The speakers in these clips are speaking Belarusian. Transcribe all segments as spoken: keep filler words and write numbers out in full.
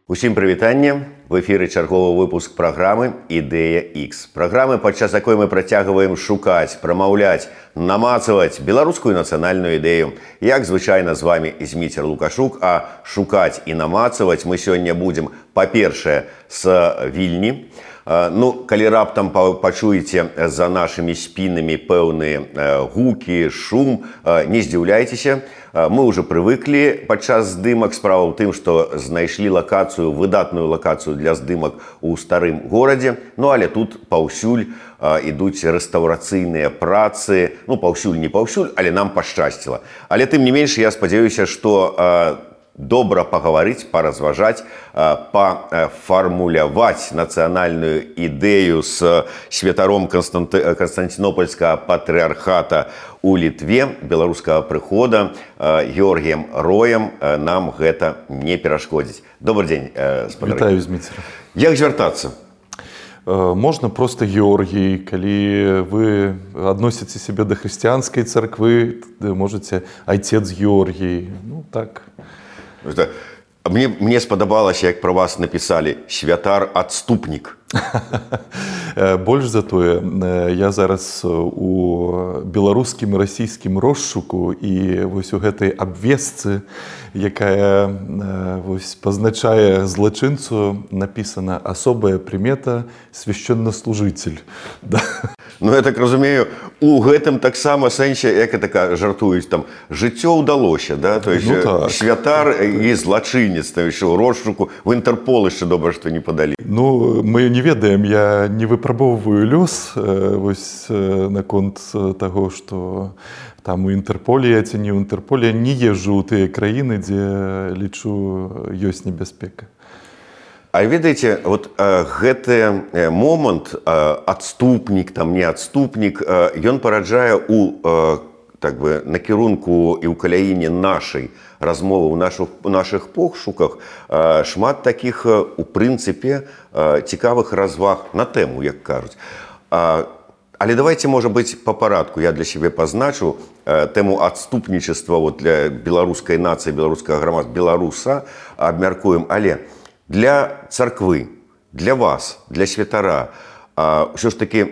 Усім прывітанне. В эфіры чарговы выпуск праграмы «Ідэя Х». Праграмы, падчас якой мы працягваем шукаць, прамаўляць, намацаваць беларускую нацыянальную ідэю. Як звычайна з вамі Зміцер Лукашук, а шукаць і намацаваць мы сёння будзем, па-першае, з Вільні. Ну, калі раптам пачуеце за нашымі спінамі пэўныя гукі, шум, не здзіўляйцеся. Мы ўжо прывыклі падчас здымак. Справа ў тым, што знайшлі лакацыю, выдатную лакацыю для здымак у старым горадзе. Ну, але тут паўсюль ідуць рэстаўрацыйныя працы. Ну, паўсюль не паўсюль, але нам пашчасціла. Але тым не менш, я спадзяюся, што добра пагаварыць, паразважаць, пафармуляваць нацыянальную ідэю з святаром Канстанцінопольскага патрыархата у Літве, беларускага прыхода, Георгіем Роем, нам гэта не перашкодзіць. Добрый дзень, спадары. Вітаю, Зміцер. Як звяртацца? Можна проста Георгій. Калі вы адносіце сябе да хрысціянскай царквы, можаце айцец Георгій. Ну, так. Мне, мне спадабалася, як пра вас напісалі святар-адступнік. Больш за тое, я зараз у беларускім і расійскім розшуку, і вось у гэтай абвестцы, якая вось пазначае злачынцу, напісана асобая прымета свяшчэннаслужыцель. Да. Ну, я так разумею, у гэтым таксама сэнсе, як это жартуюць, там, жыццё ўдалося, да? То есть, ну, так. Святар і злачынец, там, яшчэ ў розшуку, в Інтэрпол яшчэ добра, што не падалі. Ну, мы не ведаем, я не выпрабоўваю лёс вось наконт таго, што там у Інтэрполе ці не ў Інтэрполе, не езджу ў тыя краіны, дзе, лічу, ёсць небяспека. А ведаеце, вот гэты момант, адступнік, там не адступнік, ён параджае у, так бы, накірунку і ў каляіне нашай размовы, у нашых, у нашых пошуках шмат такіх, у прынцыпе, цікавых разваг на тэму, як кажуць. Але давайте, можа быць, па парадку. Я для сябе пазначу тэму адступнічества вот, для беларускай нацыі, беларускага грамадства, беларуса абмяркуем. Але для царквы, для вас, для святара, ўсё ж такі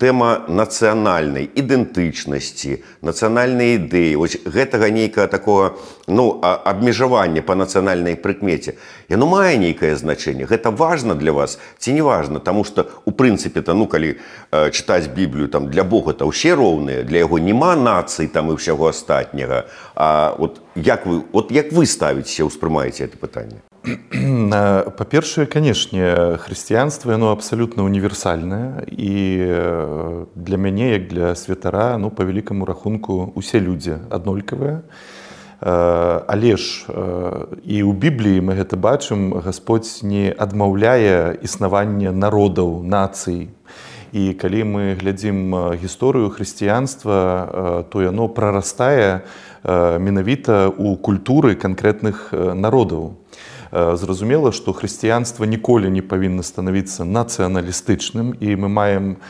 тэма нацыянальнай ідэнтычнасці, нацыянальнай ідэі, вось гэтага нейкага такога, ну, абмежавання па нацыянальнай прыкмеце, яно мае нейкае значэнне. Гэта важна для вас ці не важна? Таму што, у прынцыпе-то, ну, калі э, чытаць Біблію, там, для Бога-то ўсе роўныя, для яго няма нацый там і ўсяго астатняга. А вот як вы, вот як вы ставіцеся, ўспрымаеце гэта пытанне? Па-першае, канешне, хрысціянства, яно абсалютна універсальнае, і для мяне, як для святара, ну, па вялікаму рахунку, усе людзі аднолькавыя. Але ж і ў Бібліі мы гэта бачым, Гасподзь не адмаўляе існаванне народаў, нацый. І калі мы глядзім гісторыю хрысціянства, то яно прарастае менавіта ў культуры канкрэтных народаў. Зразумела, што хрысціянства ніколі не павінна станавіцца нацыяналістычным, і мы маем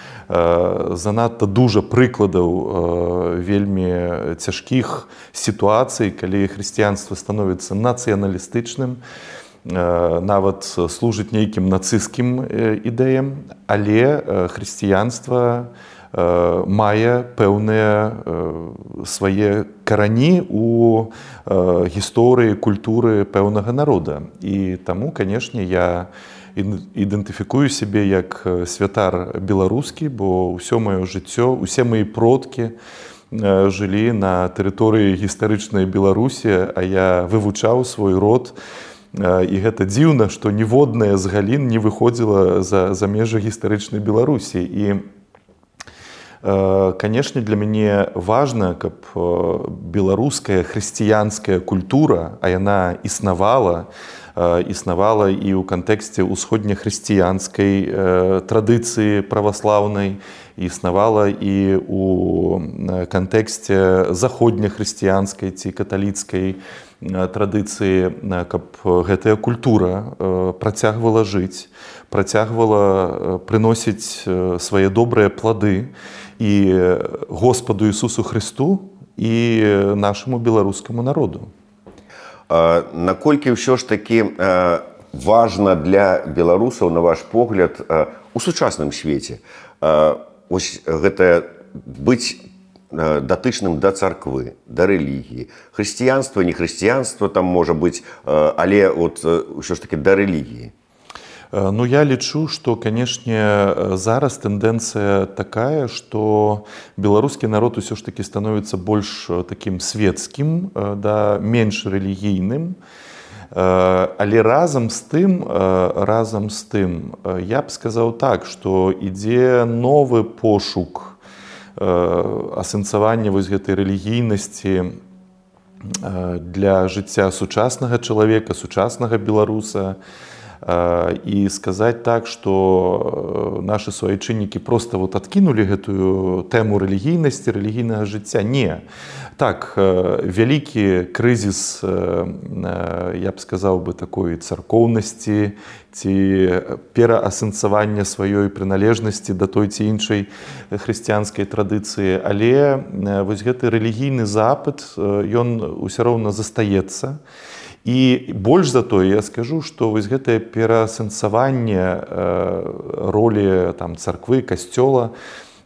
занадта дужа прыкладаў вельмі цяжкіх сітуацый, калі хрысціянства становіцца нацыяналістычным, нават служыць нейкім нацысцкім ідэям, але хрысціянства мае пэўныя свае карані ў гісторыі, культуры пэўнага народа. І таму, канешне, я ідэнтыфікую сябе як святар беларускі, бо ўсё маё жыццё, усе мои продкі жылі на тэрыторыі гістарычнай Беларусі, а я вывучаў свой род. І гэта дзіўна, што ніводная з галін не выходзіла за, за межы гістарычнай Беларусі. І канешне, для мяне важна, каб беларуская хрысціянская культура, а яна існавала, існавала і ў кантэксце ўсходнехрысціянскай традыцыі праваслаўнай, існавала і ў кантэксце заходнехрысціянскай ці каталіцкай традыцыі, каб гэтая культура працягвала жыць, працягвала прыносіць свае добрыя плады і Господу Ісусу Христу, і нашаму беларускаму народу. Наколькі ўсё ж такі важна для беларусаў, на ваш погляд, у сучасным свеце? Вось гэта быць датычным да царквы, да рэлігіі. Хрысціянства, не хрысціянства там можа быць, але от ўсё ж таки да рэлігіі. Ну, я лічу, што, канешне, зараз тэндэнцыя такая, што беларускі народ усё ж такі становіцца больш такім светскім, да, менш рэлігійным. Але разам з тым, разам з тым, я б сказаў так, што ідзе новы пошук асэнсавання вось гэтай рэлігійнасці для жыцця сучаснага чалавека, сучаснага беларуса. І сказаць так, што нашы суайчыннікі проста вот адкінулі гэтую тэму рэлігійнасці, рэлігійнага жыцця. Не. Так, вялікі крызіс, я б сказаў бы, такой царкоўнасці ці пераасэнсавання сваёй прыналежнасці да той ці іншай хрысціянскай традыцыі. Але вось гэты рэлігійны запыт, ён усё роўна застаецца. І больш за тое, я скажу, што вось гэтае пераасэнсаванне ролі там, царквы, касцёла,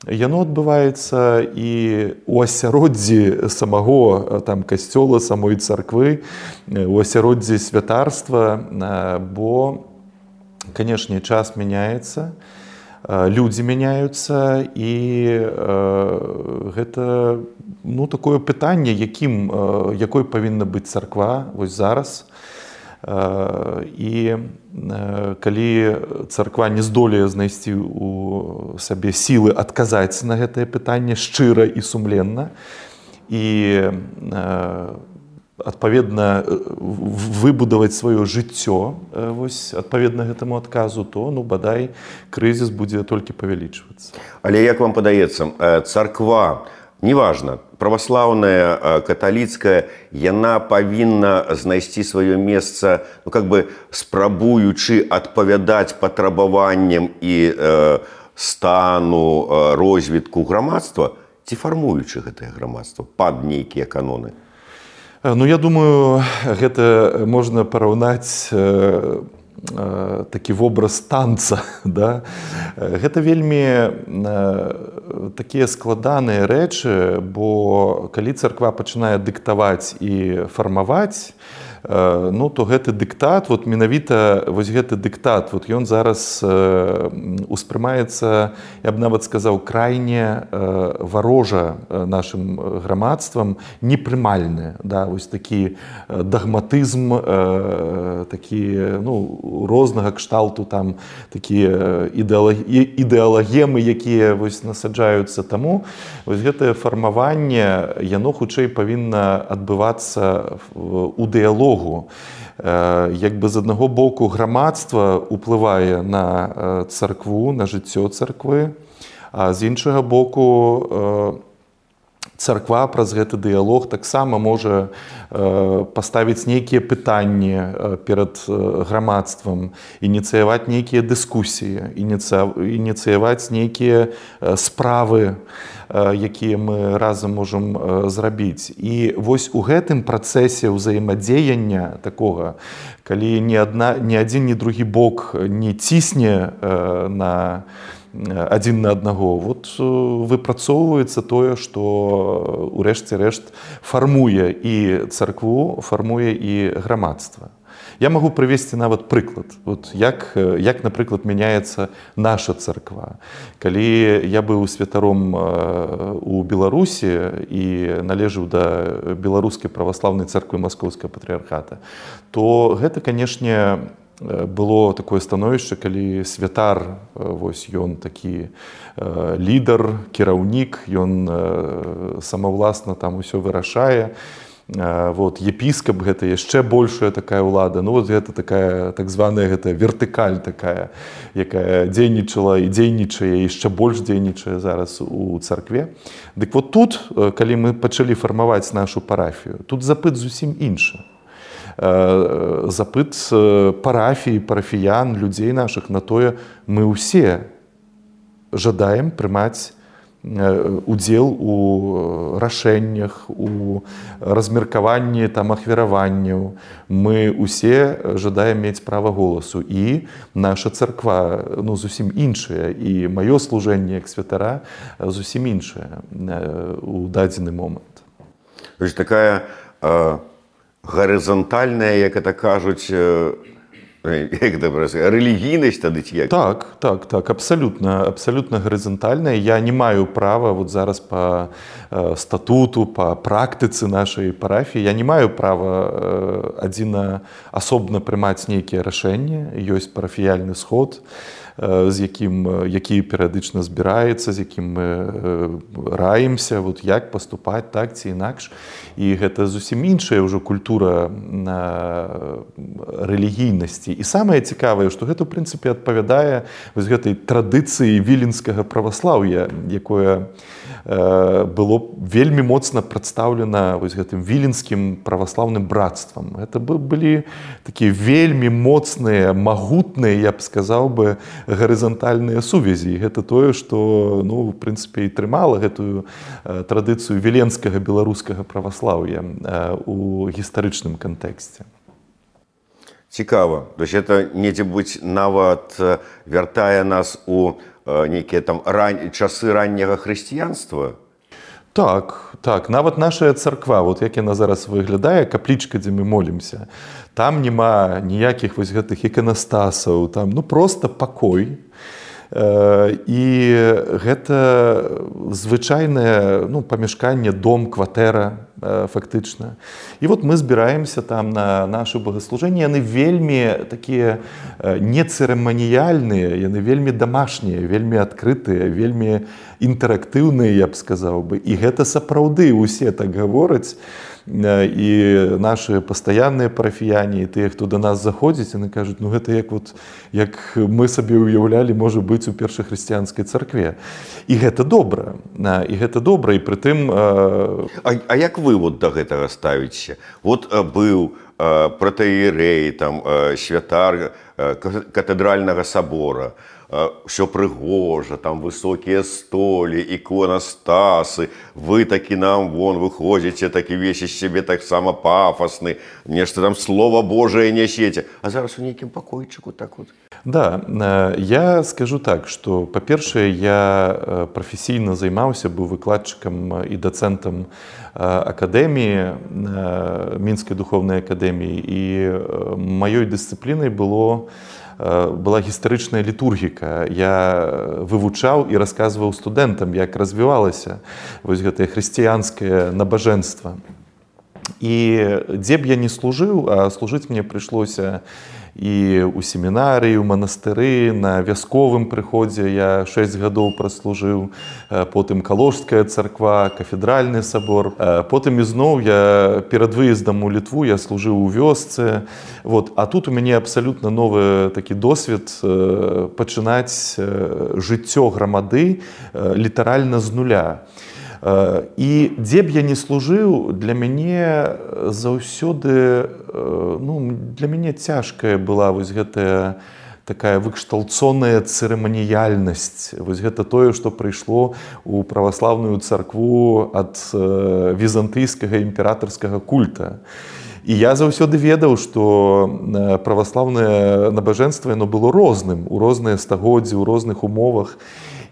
яно адбываецца і ў асяроддзі самого там, касцёла, самой царквы, у асяроддзі святарства, бо, канешне, час мяняецца, людзі мяняюцца, і гэта ну, такое пытанне, якім, якой павінна быць царква вось зараз. І калі царква не здолее знайсці у сабе сілы адказаць на гэтае пытанне шчыра і сумленна, і адпаведна выбудаваць сваё жыццё вось адпаведна гэтаму адказу, то ну бадай крызіс будзе толькі павялічвацца. Але як вам падаецца, царква, неважна, праваслаўная, каталіцкая, яна павінна знайсці сваё месца, ну как бы спрабуючы адпавядаць патрабаванням і э, стану, э, розвітку грамадства, ці фармуючы гэтае грамадства пад нейкія каноны? Ну, я думаю, гэта можна параўнаць э, э, такі вобраз танца. Да? Гэта вельмі э, такія складаныя рэчы, бо калі царква пачынае дыктаваць і фармаваць, э, ну, то гэты дыктат, вот менавіта вось гэты дыктат, вот ён зараз э, успрымаецца, я б нават сказаў, крайне э, варожа нашым грамадствам, непрымальны, да, вось такі дагматызм, э, такі, ну, рознага кшталту там такія ідэалагемы, якія вось насаджаюцца. Таму вось гэтае фармаванне, яно хутчэй павінна адбывацца у дыялогу. Як бы з аднаго боку грамадства ўплывае на царкву, на жыццё царквы, а з іншага боку царква праз гэты дыялог таксама можа паставіць нейкія пытанні перад грамадствам, ініцыяваць нейкія дыскусіі, ініцыяваць нейкія справы, якія мы разам можам зрабіць. І вось у гэтым працэсе ўзаемадзеяння такога, калі ні адна, ні адзін, ні другі бок не цісне на адзін на аднаго, вот выпрацоўваецца тое, што урэшце рэшт фармуе і царкву, фармуе і грамадства. Я магу прывесці нават прыклад, вот як, як, напрыклад, мяняецца наша царква. Калі я быў святаром у Беларусі і належыў да беларускай праваслаўнай царквы Маскоўскага патрыархата, то гэта, канешне, было такое становішча, калі святар, вось ён такі лідар, кіраўнік, ён самавласна там усё вырашае. Вот, епіскап — гэта яшчэ большая такая ўлада. Ну вот гэта такая так званая гэта вертыкаль такая, якая дзейнічала і дзейнічае, і яшчэ больш дзейнічае зараз у царкве. Дык вот тут, калі мы пачалі фармаваць нашу парафію, тут запыт зусім іншы. Запыт парафіі, парафіян, людзей нашых на тое, мы ўсе жадаем прымаць удзел у рашэннях, у размеркаванні там ахвяраванняў. Мы усе жадаем мець права голасу. І наша царква ну, зусім іншая. І маё служэнне як святара зусім іншае у дадзены момант. То есть такая э, гарызантальная, як это кажуць, э, як это рэлігійнасць тады ці як? Так, так, так, абсалютна, абсалютна гарызантальная. Я не маю права вот зараз па э, статуту, па практыцы нашай парафіі, я не маю права э, адзіна асобна прымаць нейкія рашэнні. Ёсць парафіяльны сход, з якім, які перыядычна збіраецца, з якім мы раімся, вот як паступаць так ці інакш. І гэта зусім іншая ўжо культура рэлігійнасці. І самае цікавае, што гэта, ў прынцыпе, адпавядае вось гэтай традыцыі віленскага праваслаўя, якое было вельмі моцна прадстаўлена вось гэтым віленскім праваслаўным братствам. Гэта былі такія вельмі моцныя, магутныя, я б сказаў бы, гарызантальныя сувязі. І гэта тое, што, ну, в прынцыпе, і трымала гэтую традыцыю віленскага беларускага праваслаўя у гістарычным кантэксце. Цікава. То есть это недзе-будзь нават вяртае нас у нейкія там ран... часы ранняга хрысціянства? Так, так. Нават наша царква, вот як яна зараз выглядае, каплічка, дзе мы молімся, там няма ніякіх вось гэтых іканастасаў, там ну проста пакой. І гэта звычайнае ну, памяшканне, дом, кватэра фактычна. І вот мы збіраемся там на нашы богаслужэнні, яны вельмі такія нецырыманіяльныя, яны вельмі дамашнія, вельмі адкрытыя, вельмі інтэрактыўныя, я б сказаў бы. І гэта сапраўды усе так гавораць. І нашы пастаянныя парафіяне, і тыя, хто да нас заходзіць, яны кажуць, ну гэта як, вот, як мы сабе ўяўлялі, можа быць у першахрысціянскай царкве. І гэта добра. І гэта добра, і прытым... А, а як вы вот да гэтага ставіце? Вот быў пратэірэй, там, святар катэдральнага сабора, все прыгожа, там высокія столі, іконастасы, вы такі нам вон выходзіце, такі весь з сябе таксама пафасны, нешта там Слова Божае нясеце, а зараз у нейкім пакойчыку так вот. Да, я скажу так, што, па-першае, я прафесійна займаўся, быў выкладчыкам і дацэнтам акадэміі, Мінскай духовнай акадэміі, і маёй дысцыплінай было была гістарычная літургіка. Я вывучаў і расказваў студэнтам, як развівалася вось гэтае хрысціянскае набажэнства. І дзе б я не служыў, а служыць мне прыйшлося і ў семінарыі, у манастыры, на вясковым прыходзе я шэсць гадоў праслужыў, потым Калужская царква, кафедральны сабор, потым ізноў я перад выездам у Літву я служыў у вёсцы. Вот. А тут у мяне абсалютна новы такі досвед пачынаць жыццё грамады літаральна з нуля. І дзе б я не служыў, для мяне заўсёды, ну, для мяне цяжкая была вось гэтая такая выкшталцоная цырыманіяльнасць. Вось гэта тое, што прыйшло ў праваслаўную царкву ад візантыйскага імператарскага культа. І я заўсёды ведаў, што праваслаўнае набажэнства яно было розным, у розныя стагоддзі, у розных умовах.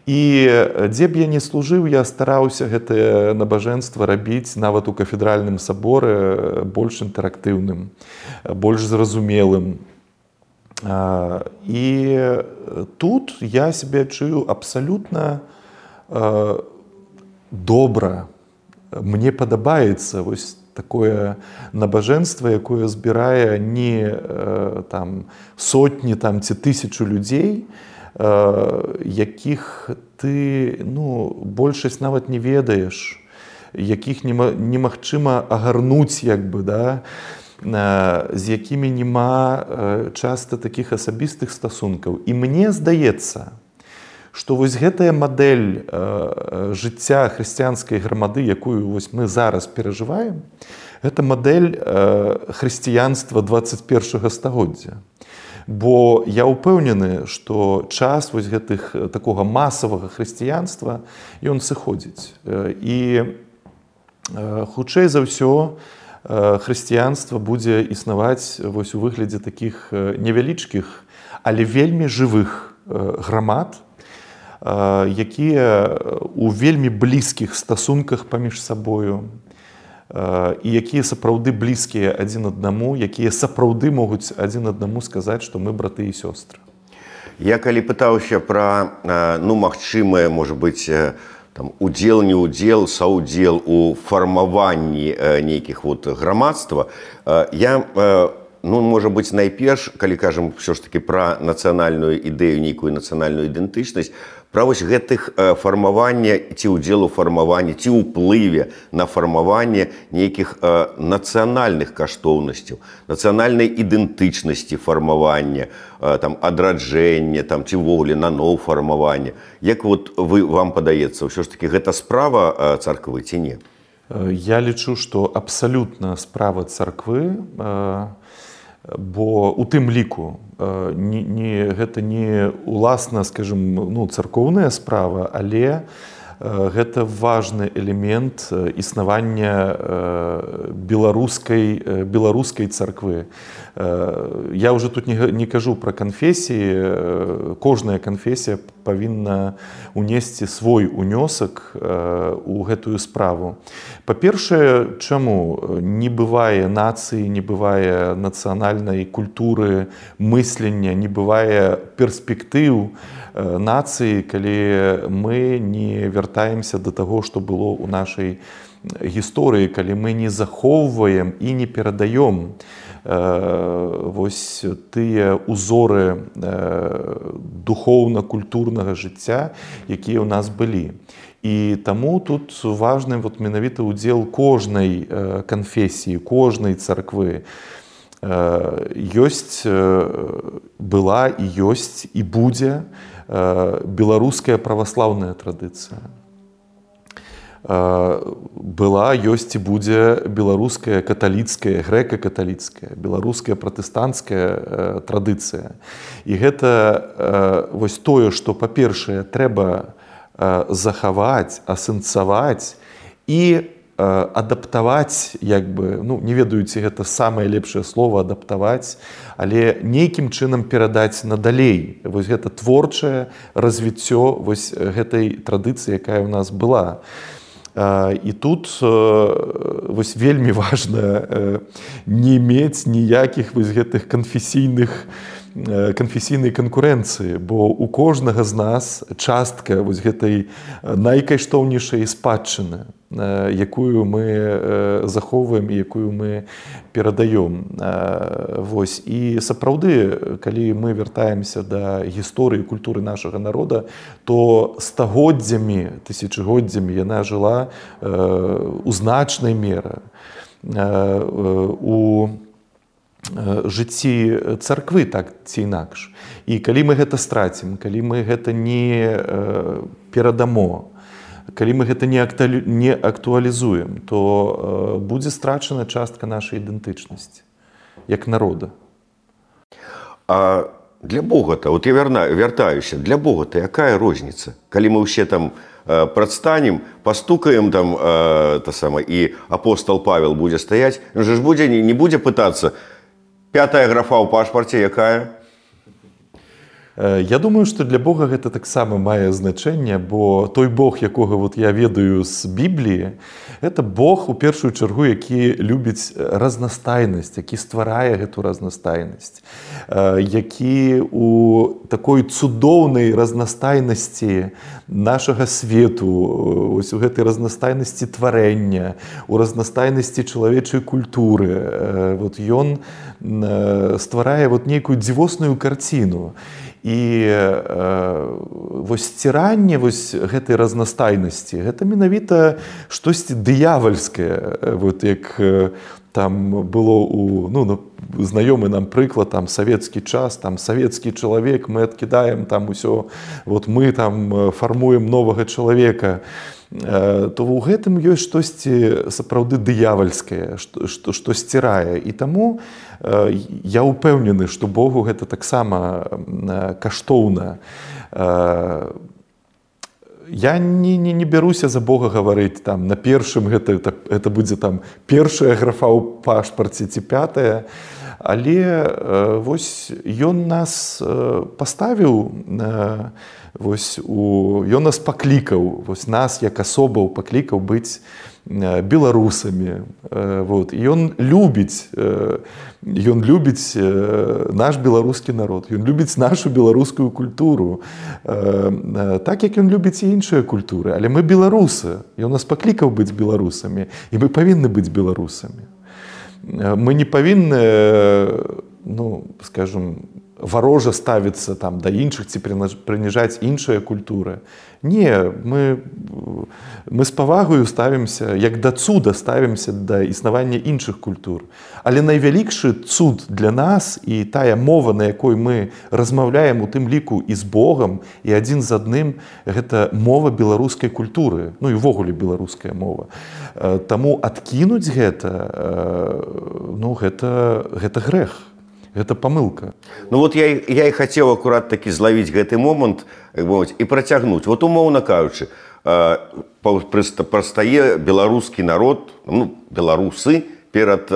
І дзе б я не служыў, я стараўся гэтае набажэнства рабіць нават у кафедральным саборы больш інтэрактыўным, больш зразумелым. І тут я сябе адчую абсалютна добра. Мне падабаецца вось такое набажэнства, якое збірае не там, сотні там, ці тысячу людзей, якіх ты ну, большасць нават не ведаеш, якіх немагчыма агарнуць, як бы, да, з якімі няма часта такіх асабістых стасункаў. І мне здаецца, што вось гэтая мадэль жыцця хрысціянскай грамады, якую вось мы зараз перажываем, гэта мадэль хрысціянства дваццаць першага стагоддзя. Бо я ўпэўнены, што час вось гэтых такога масавага хрысціянства ён сыходзіць. І хутчэй за ўсё хрысціянства будзе існаваць вось у выглядзе такіх невялічкіх, але вельмі жывых грамад, якія у вельмі блізкіх стасунках паміж сабою, і якія сапраўды блізкія адзін аднаму, якія сапраўды могуць адзін аднаму сказаць, што мы браты і сёстры. Я калі пытаўся пра, ну, магчымае, можа быць, там, удзел, не удзел, саўдзел у фармаванні нейкіх вот грамадства, я, ну, можа быць, найперш, калі кажам ўсё ж такі пра нацыянальную ідэю, нейкую нацыянальную ідэнтычнасць, пра вось гэтых фармавання ці ўдзелу фармавання, ці ўплыве на фармаванне нейкіх нацыянальных каштоўнасцяў, нацыянальнай ідэнтычнасці фармавання, там, адраджэння, там, ці ўвогуле наноў фармавання. Як вот вы, вам падаецца, ўсё ж такі гэта справа царквы ці не? Я лічу, што абсалютна справа царквы, бо у тым ліку не, не, гэта не уласна, скажем, ну, царкоўная справа, але гэта важны элемент існавання беларускай, беларускай царквы. Я ўжо тут не, не кажу пра канфесіі, кожная канфесія павінна унесці свой унёсак у гэтую справу. Па-першае, чаму не бывае нацыі, не бывае нацыянальнай культуры, мыслення, не бывае перспектыў нацыі, калі мы не вяртаемся да таго, што было ў нашай гісторыі, калі мы не захоўваем і не перадаём вось тыя узоры духоўна-культурнага жыцця, якія ў нас былі. І таму тут важны вот менавіта ўдзел кожнай канфесіі, кожнай царквы. Ёсць, была і ёсць і будзе беларуская праваслаўная традыцыя. Была, ёсць і будзе беларуская каталіцкая, грэка-каталіцкая, беларуская пратэстанцкая традыцыя. І гэта вось тое, што, па-першае, трэба захаваць, асэнсаваць і адаптаваць, як бы, ну, не ведаю, ці гэта самае лепшае слово адаптаваць, але нейкім чынам перадаць надалей. Вось гэта творчае развіццё вось гэтай традыцыі, якая ў нас была. І тут вось вельмі важна не мець ніякіх вось гэтых канфесійных канфесійнай канкурэнцыі, бо у кожнага з нас частка вось гэтай найкаштоўнейшай спадчыны, якую мы захоўваем і якую мы перадаём. Вось. І сапраўды, калі мы вяртаемся да гісторыі культуры нашага народа, то стагоддзямі, тысячагоддзямі яна жыла у значнай меры у жыцці царквы, так ці інакш. І калі мы гэта страцім, калі мы гэта не перадамо, калі мы гэта не актуалізуем, то будзе страчана частка нашай ідэнтычнасці як народа. А для Бога-то, вот я вяртаюся, для Бога-то якая розніца? Калі мы ўсе там прадстанем, пастукаем там, та сама, і апостол Павел будзе стаяць, ён же ж будзе, не будзе пытацца, пятая графа ў пашпарце якая? Я думаю, што для Бога гэта таксама мае значэнне, бо той Бог, якога вот я ведаю з Бібліі, гэта Бог у першую чаргу, які любіць разнастайнасць, які стварае гэту разнастайнасць, які у такой цудоўнай разнастайнасці нашага свету, ось у гэтай разнастайнасці тварэння, у разнастайнасці чалавечай культуры, вот ён стварае вот нейкую дзівосную карціну. І э, вось сціранне вось гэтай разнастайнасці, гэта менавіта штосьці дыявальскае, вот як там было у, ну, знаёмы нам прыклад, там савецкі час, там савецкі чалавек, мы адкідаем там усё, вот мы там фармуем новага чалавека, то ў гэтым ёсць штосьці сапраўды дыявальскае, што, што, што сцірае. І таму я ўпэўнены, што Богу гэта таксама каштоўна. Я не, не, не бяруся за Бога гаварыць там на першым, гэта, гэта будзе там першая графа ў пашпарце ці пятая, але вось ён нас паставіў, вось у, ён нас паклікаў, вось нас як асобаў паклікаў быць беларусамі. Вот. І ён любіць, ён любіць наш беларускі народ, ён любіць нашу беларускую культуру, так як ён любіць і іншыя культуры. Але мы беларусы, ён нас паклікаў быць беларусамі, і мы павінны быць беларусамі. Мы не павінны, ну, скажем, варожа ставіцца там да іншых ці прыніжаць іншыя культуры. Не, мы, мы з павагаю ставімся, як да цуда ставімся да існавання іншых культур. Але найвялікшы цуд для нас і тая мова, на якой мы размаўляем у тым ліку і з Богам, і адзін з адным, гэта мова беларускай культуры, ну і ўвогуле беларуская мова. Таму адкінуць гэта, ну, гэта, гэта грэх. Гэта памылка. Ну вот я, я і хацеў акурат такі злавіць гэты момант і працягнуць. Вот умоўна кажучы, прастае беларускі народ, ну, беларусы перад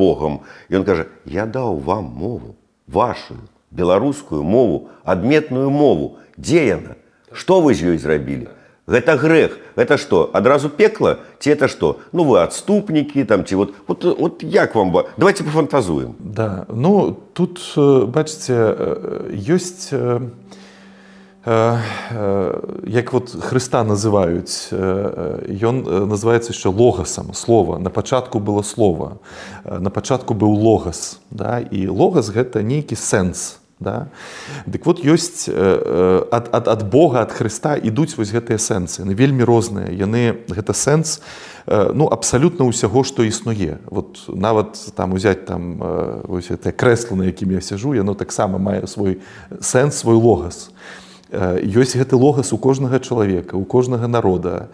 Богам. І ён кажа, я даў вам мову, вашу беларускую мову, адметную мову. Дзе яна? Што вы з ёй зрабілі? Гэта грэх. Это што, адразу пекла? Ці это што? Ну, вы адступнікі, там, ці вот, вот, вот як вам... Давайте пафантазуем. Да, ну, тут, бачыце, ёсць, як вот Хрыста называюць, ён называецца яшчэ логасам, слова. На пачатку было слова, на пачатку быў логас, да? І логас — гэта нейкі сэнс. Да? Дык вот ёсць ад, ад, ад Бога, ад Хрыста ідуць вось гэтыя сэнсы, яны вельмі розныя, яны, гэта сэнс, ну, абсалютна ўсяго, што існуе. Вот нават там узяць там вось гэтае крэсла, на якім я сяджу, яно таксама мае свой сэнс, свой логас. Ёсць гэты логас у кожнага чалавека, у кожнага народа.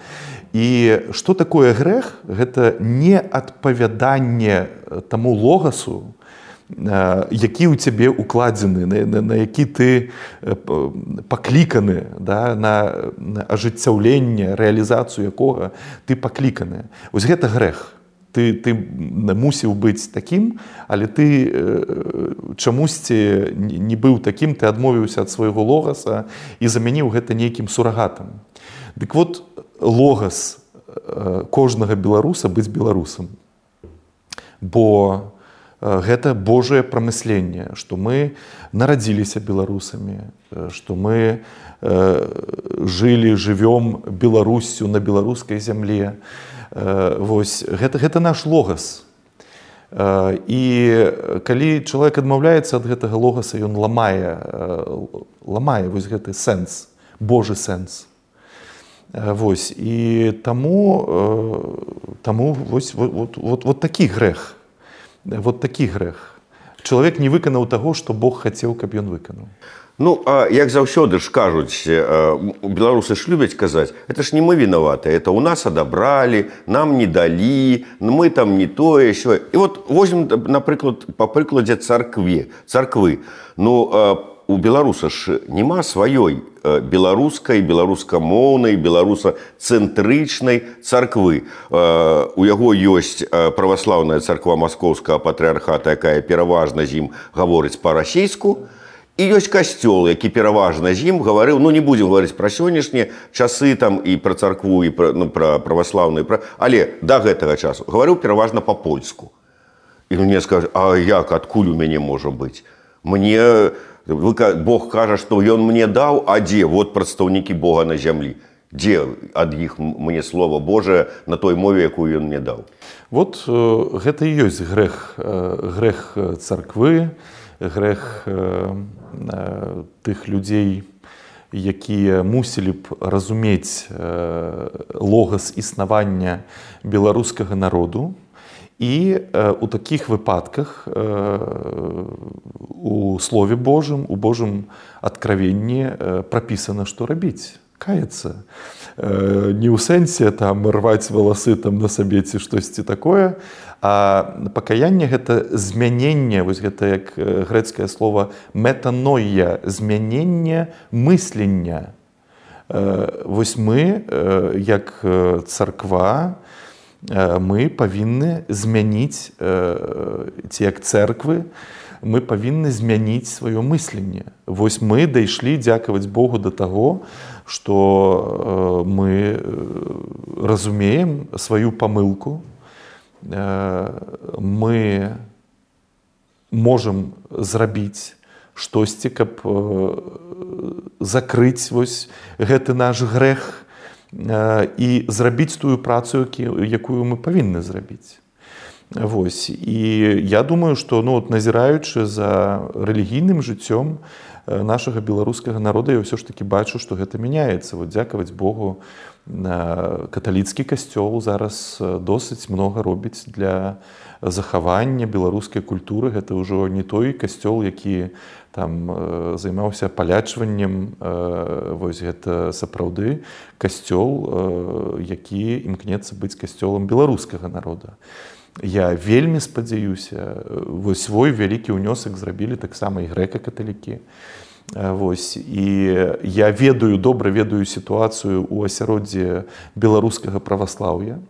І што такое грэх? Гэта не адпавяданне таму логасу, які ў цябе укладзены, на, на, на які ты пакліканы, да, на, на ажыццяўленне, рэалізацыю якога ты пакліканы. Вось гэта грэх. Ты, ты мусіў быць такім, але ты чамусьці не быў такім, ты адмовіўся ад свайго логаса і замяніў гэта нейкім сурагатам. Дык вот логас кожнага беларуса быць беларусам. Бо гэта Божае прамысленне, што мы нарадзіліся беларусамі, што мы жылі, жывём Беларуссю на беларускай зямле. Вось, гэта, гэта наш логас. І калі чалавек адмаўляецца ад гэтага логаса, ён ламае, ламае вось гэты сэнс, Божы сэнс. Вось, і таму, таму вось, вот, вот, вот такі грэх. Вот такі грэх. Чалавек не выканаў таго, што Бог хацеў, каб ён выканаў. Ну, а як заўсёды ж кажуць, беларусы ж любяць казаць, это ж не мы вінаватыя, это у нас адабралі, нам не далі, мы там не тое, сё. І вот возьмем, напрыклад, па прыкладзе царкве, царквы. Ну, у беларуса ж няма сваёй беларускай, беларускамоўнай, беларусацэнтрычнай царквы. У яго ёсць праваслаўная царква Маскоўскага патрыархата, якая пераважна з ім гаворыць па-расейску, і ёсць касцёл, які пераважна з ім гаварыў, ну не будзем гаварыць пра сённяшнія часы там і пра царкву, і пра, ну, пра праваслаўную, пра... але да гэтага часу гаварыў пераважна па-польску. І мне скажуць, а як, адкуль у мяне можа быць? Мне... Бог кажа, што ён мне даў, а дзе? Вот прадстаўнікі Бога на зямлі. Дзе ад іх мне слова Божае на той мове, якую ён мне даў? Вот э, гэта і ёсць грэх, э, грэх царквы, грэх э, э, тых людзей, якія мусілі б разумець э, логас існавання беларускага народу І у таких випадках у Слове Божым, у Божым откровенні прописано, что робіць. Каяться. Не ў сэнсе там рваць валасы там на сабе ці штосьці такое, а пакаянне гэта змяненне, вось гэта як грэцкае слово метаноія, змяненне мыслення. Вось мы, як царква, мы павінны змяніць, ці як церквы, мы павінны змяніць сваё мысленне. Вось мы дайшлі, дзякаваць Богу, да таго, што мы разумеем сваю памылку, мы можам зрабіць штосьці, каб закрыць вось гэты наш грэх і зрабіць тую працу, якую мы павінны зрабіць. Вось. І я думаю, што ну, от, назіраючы за рэлігійным жыццём нашага беларускага народа, я ўсё ж такі бачу, што гэта мяняецца. Вот, дзякаваць Богу, каталіцкі касцёл зараз досыць многа робіць для захавання беларускай культуры. Гэта ўжо не той касцёл, які там займаўся палячваннем. Вось гэта сапраўды касцёл, які імкнецца быць касцёлам беларускага народа. Я вельмі спадзяюся, вось свой вялікі ўнёсак зрабілі таксама і грэка-каталікі. Вось. І я ведаю, добра ведаю сітуацыю ў асяроддзі беларускага праваслаўя.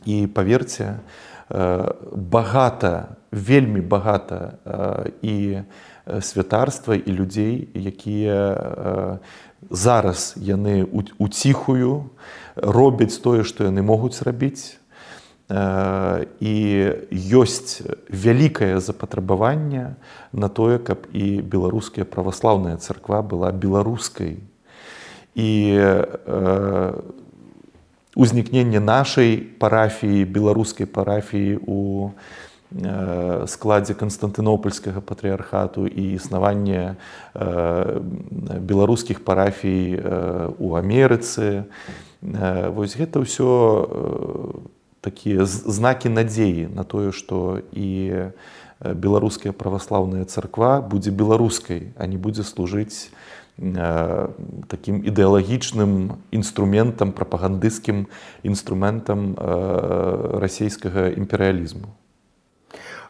І паверце, багата, вельмі багата і святарства, і людзей, якія зараз яны уціхую робяць тое, што яны могуць зрабіць. І ёсць вялікае запатрабаванне на тое, каб і беларуская праваслаўная царква была беларускай. І узнікненне нашай парафіі, беларускай парафіі у складзе Канстантынопольскага патрыархату і існаванне беларускіх парафій у Амерыцы. Вось гэта ўсё такія знакі надзеі на тое, што і беларуская праваслаўная царква будзе беларускай, а не будзе служыць такім ідэалагічным інструментам, прапагандысцкім інструментам расійскага імперыялізму.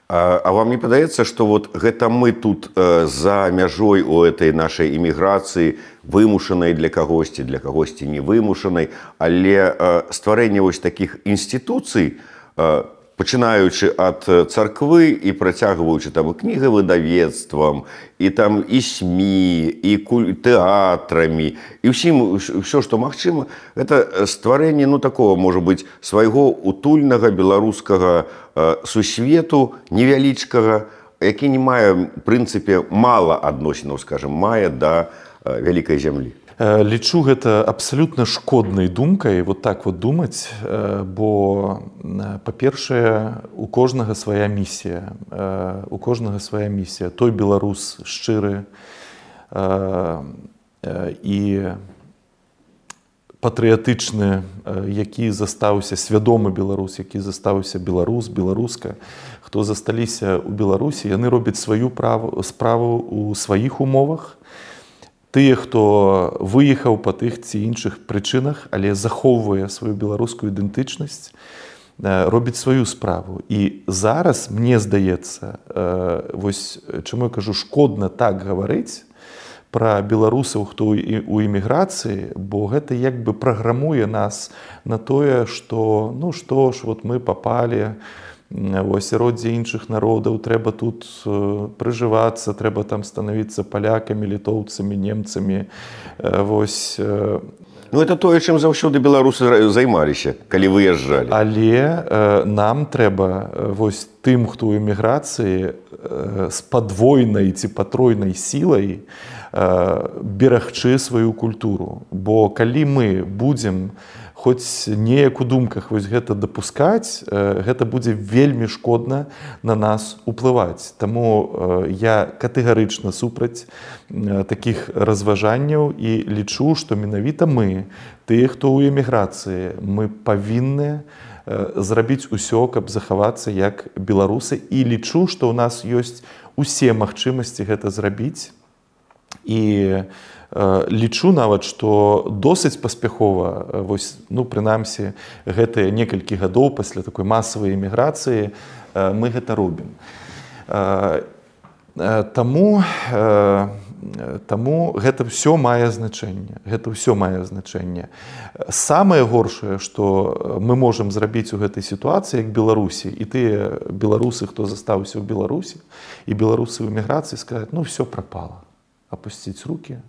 А, а вам не падаецца, што вот гэта мы тут э, за мяжой у этой нашай іміграцыі, вымушанай для кагосьці, для кагосьці не вымушанай, але э, стварэнне вось такіх інстытуцый, э, пачынаючы ад царквы і працягваючы там і кнігавыдавецтвам, і там і СМІ, і тэатрамі, і ўсім ўсё, што магчыма, гэта стварэнне, ну, такого, можа быць, свайго утульнага беларускага э, сусвету, невялічкага, які не мае, в прынцыпе, мала адносінаў, скажем, мае да э, вялікай зямлі. Лічу гэта абсалютна шкоднай думкай, вот так вот думаць, бо, па-першае, у кожнага свая місія. У кожнага свая місія. Той беларус шчыры і патрыятычны, які застаўся, свядомы беларус, які застаўся беларус, беларуска, хто засталіся ў Беларусі, яны робяць сваю справу ў сваіх умовах. Тыя, хто выехаў па тых ці іншых прычынах, але захоўвае сваю беларускую ідэнтычнасць, робіць сваю справу. І зараз, мне здаецца, вось чаму я кажу, шкодна так гаварыць пра беларусаў, хто у эміграцыі, бо гэта як бы праграмуе нас на тое, што, ну што ж, вот мы папалі у асяроддзе іншых народаў, трэба тут прыжывацца, трэба там станавіцца палякамі, літоўцамі, немцамі. Вось. Ну, это тое, чым заўсёды беларусы займаліся, калі выязджалі. Але нам трэба вось тым, хто ў эміграцыі, з падвойнай ці патройнай сілай берагчы сваю культуру. Бо калі мы будзем хоць неяк у думках вось гэта дапускаць, гэта будзе вельмі шкодна на нас уплываць. Таму я катэгарычна супраць такіх разважанняў і лічу, што менавіта мы, тыя, хто ў эміграцыі, мы павінны зрабіць усё, каб захавацца як беларусы. І лічу, што ў нас ёсць усе магчымасці гэта зрабіць. І лічу нават, што досыць паспяхова, вось, ну, прынамсі, гэтыя некалькі гадоў пасля такой масавай эміграцыі мы гэта робім. Таму, таму гэта ўсё мае значэнне. Гэта ўсё мае значэнне. Самае горшае, што мы можам зрабіць у гэтай сітуацыі, як Беларусі, і тыя беларусы, хто застаўся ў Беларусі, і беларусы ў эміграцыі скажуць, ну, ўсё прапала. Апусціць рукі,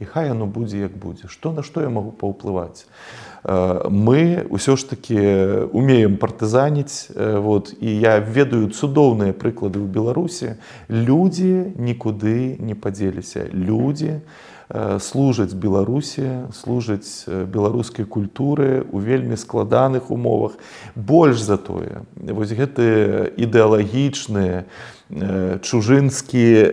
і хай яно будзе, як будзе. Што, на што я магу паўплываць? Мы ўсё ж такі умеем партызаніць, вот, і я ведаю цудоўныя прыклады ў Беларусі. Людзі нікуды не падзеліся. Людзі служаць Беларусі, служаць беларускай культуры ў вельмі складаных умовах. Больш за тое, вось гэты ідэалагічны, чужынскі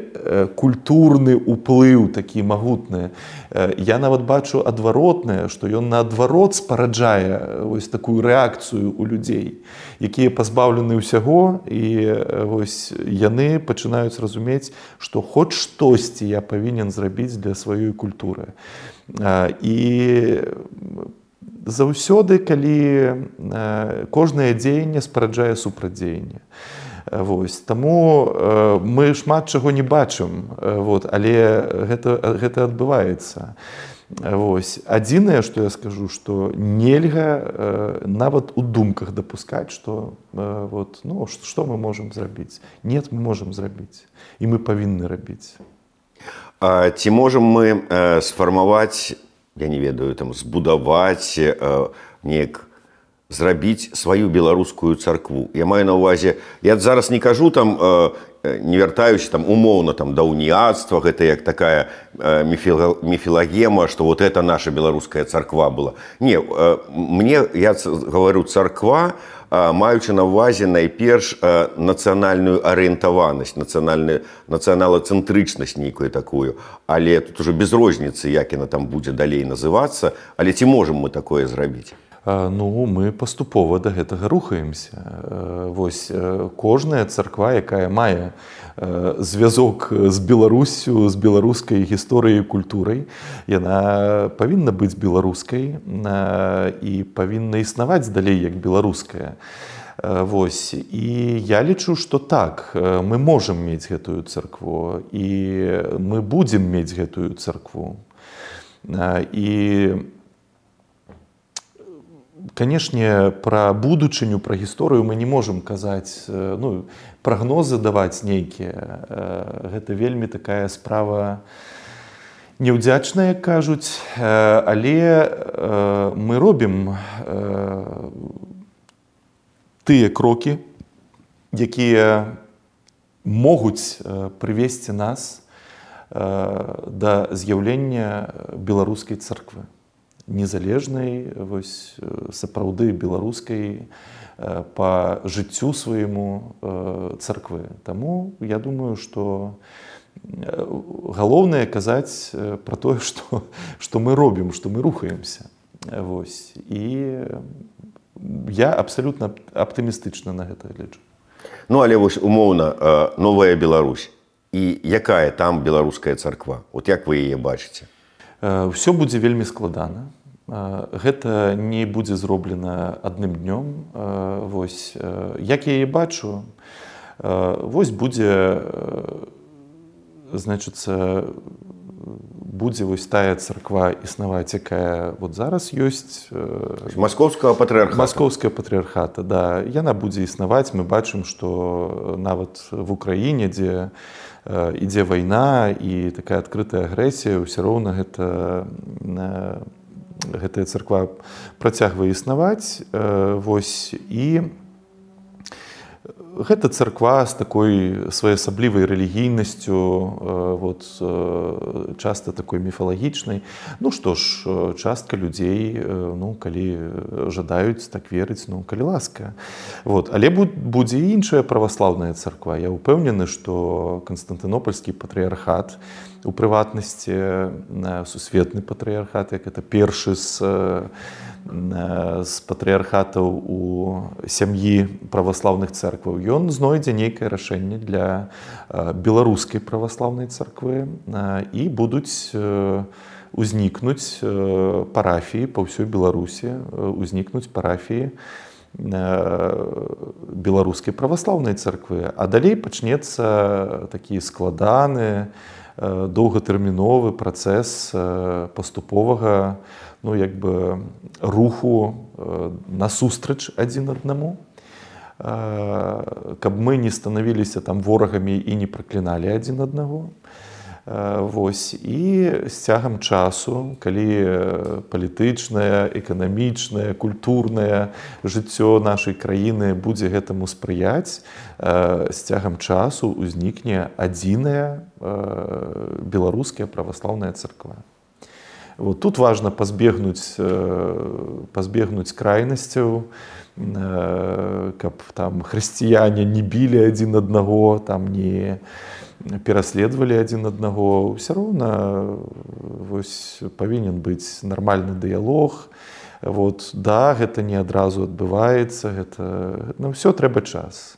культурны ўплыў такі магутны. Я нават бачу адваротнае, што ён наадварот спараджае вось такую рэакцыю ў людзей, якія пазбаўлены ўсяго, і вось яны пачынаюць разумець, што хоць штосьці я павінен зрабіць для сваёй культуры. І заўсёды, калі кожнае дзеянне спараджае супрацьдзеянне. Вось. Таму э, мы шмат чаго не бачым, вот, але гэта, гэта адбываецца. Вось. Адзінае, што я скажу, што нельга э, нават у думках дапускаць, што э, вот, ну, што мы можам зрабіць. Нет, мы можам зрабіць. І мы павінны рабіць. А ці можам мы э, сфармаваць, я не ведаю, там, збудаваць э, неяк зрабіць сваю беларускую царкву. Я маю на ўвазе, я зараз не кажу там, не вяртаюся там умоўна там да уніяцтва, гэта як такая міфілагема, што вот это наша беларуская царква была. Не, мне, я говорю царква, маючы на ўвазе найперш нацыянальную арыентаванасць, нацыяналацэнтрычнасць нейкую такую, але тут уже без розніцы, як яна там будзе далей называцца, але ці можам мы такое зрабіць? Ну, мы паступова да гэтага рухаемся. Вось кожная царква, якая мае звязок з Беларуссю, з беларускай гісторыяй і культурай, яна павінна быць беларускай і павінна існаваць далей як беларуская. Вось. І я лічу, што так, мы можам мець гэтую царкву, і мы будзем мець гэтую царкву. І канешне, пра будучыню, пра гісторыю мы не можам казаць, ну, прагнозы даваць нейкія. Гэта вельмі такая справа неўдзячная, як кажуць, але мы робім тыя крокі, якія могуць прывесці нас да з'яўлення беларускай царквы. Незалежнай, вось, сапраўды беларускай па жыццю свайму царквы. Таму я думаю, што галоўнае казаць пра тое, што, што мы робім, што мы рухаемся. Вось. І я абсалютна аптымістычна на гэта лічу. Ну, але вось умоўна новая Беларусь. І якая там беларуская царква? От як вы яе бачыце? Усё будзе вельмі складана. Гэта не будзе зроблена адным днём. Вось, як я яе бачу, вось будзе, значыцца, будзе вось тая царква існаваць, якая вот зараз ёсць. Маскоўскага патрыархата. Маскоўская патрыархата, да. Яна будзе існаваць. Мы бачым, што нават в Украіне, дзе ідзе вайна і такая адкрытая агрэсія, ўсё роўна гэта гэтая царква працягвае існаваць. Вось. І гэта царква з такой своеасаблівай рэлігійнасцю, вот, часта такой міфалагічнай. Ну што ж, частка людзей, ну, калі жадаюць так верыць, ну, калі ласка. Вот. Але будзе і іншая праваслаўная царква. Я ўпэўнены, што Канстантынопольскі патрыархат у прыватнасці сусветны патрыярхат, як это першы з, з патрыярхатаў у сям'і праваслаўных цэркваў, ён знойдзе нейкае рашэнне для беларускай праваслаўнай царквы і будуць узнікнуць парафіі па ўсёй Беларусі, узнікнуць парафіі беларускай праваслаўнай царквы, а далей пачнецца такі складаны, доўгатэрміновы працэс паступовага, ну, як бы руху насустрач адзін аднаму, каб мы не станавіліся там ворагамі і не пракліналі адзін аднаго. Вось. І з цягам часу, калі палітычнае, эканамічнае, культурнае жыццё нашай краіны будзе гэтаму спрыяць, з цягам часу ўзнікне адзіная беларуская праваслаўная царква. Вот тут важна пазбегнуць, пазбегнуць крайнасцяў, каб там хрысціяне не білі адзін аднаго, там не пераследавалі адзін аднаго. Усё роўна вось павінен быць нармальны дыялог. Вот, да, гэта не адразу адбываецца, гэта на ўсё трэба час.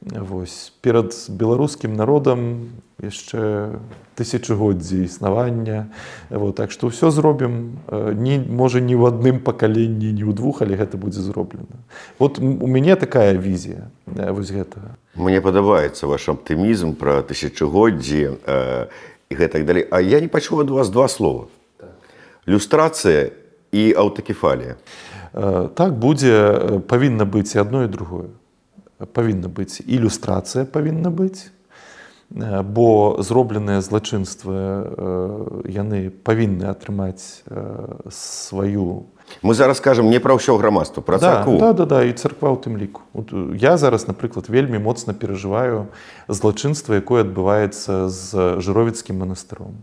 Вось, перад беларускім народам яшчэ тысячагоддзі існавання. Вот, так што ўсё зробім, не, можа, не ў адным пакаленні, не ў двух, але гэта будзе зроблена. Вот у мяне такая візія вось гэтага. Мне падабаецца ваш аптымізм пра тысячагоддзі э, і гэтак далей. А я не пачуў ад вас два слова. Так. Люстрацыя і аўтакефалія. Э, так будзе, павінна быць і адно, і другое. Павінна быць ілюстрацыя, павінна быць, бо зробленыя злачынствы яны павінны атрымаць сваю. Мы зараз кажам не пра ўсё грамадства, пра царкву. Да, да, да, і царква ў тым ліку. Я зараз, напрыклад, вельмі моцна перажываю злачынства, якое адбываецца з Жыровіцкім манастыром.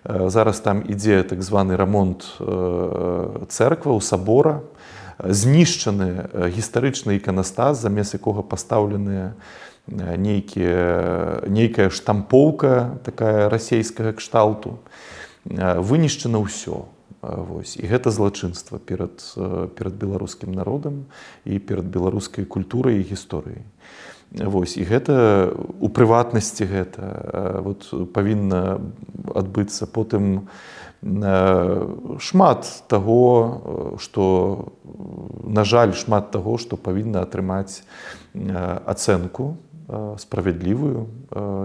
Зараз там ідзе так званы рамонт цэркваў, сабора, знішчаны гістарычны іканастас, замест якога пастаўленыя нейкія, нейкая штампоўка такая расейскага кшталту. Вынішчана ўсё. Вось. І гэта злачынства перад, перад беларускім народам і перад беларускай культурай і гісторыяй. Вось. І гэта у прыватнасці гэта вот, павінна адбыцца потым шмат таго, што, на жаль, шмат таго, што павінна атрымаць ацэнку справядлівую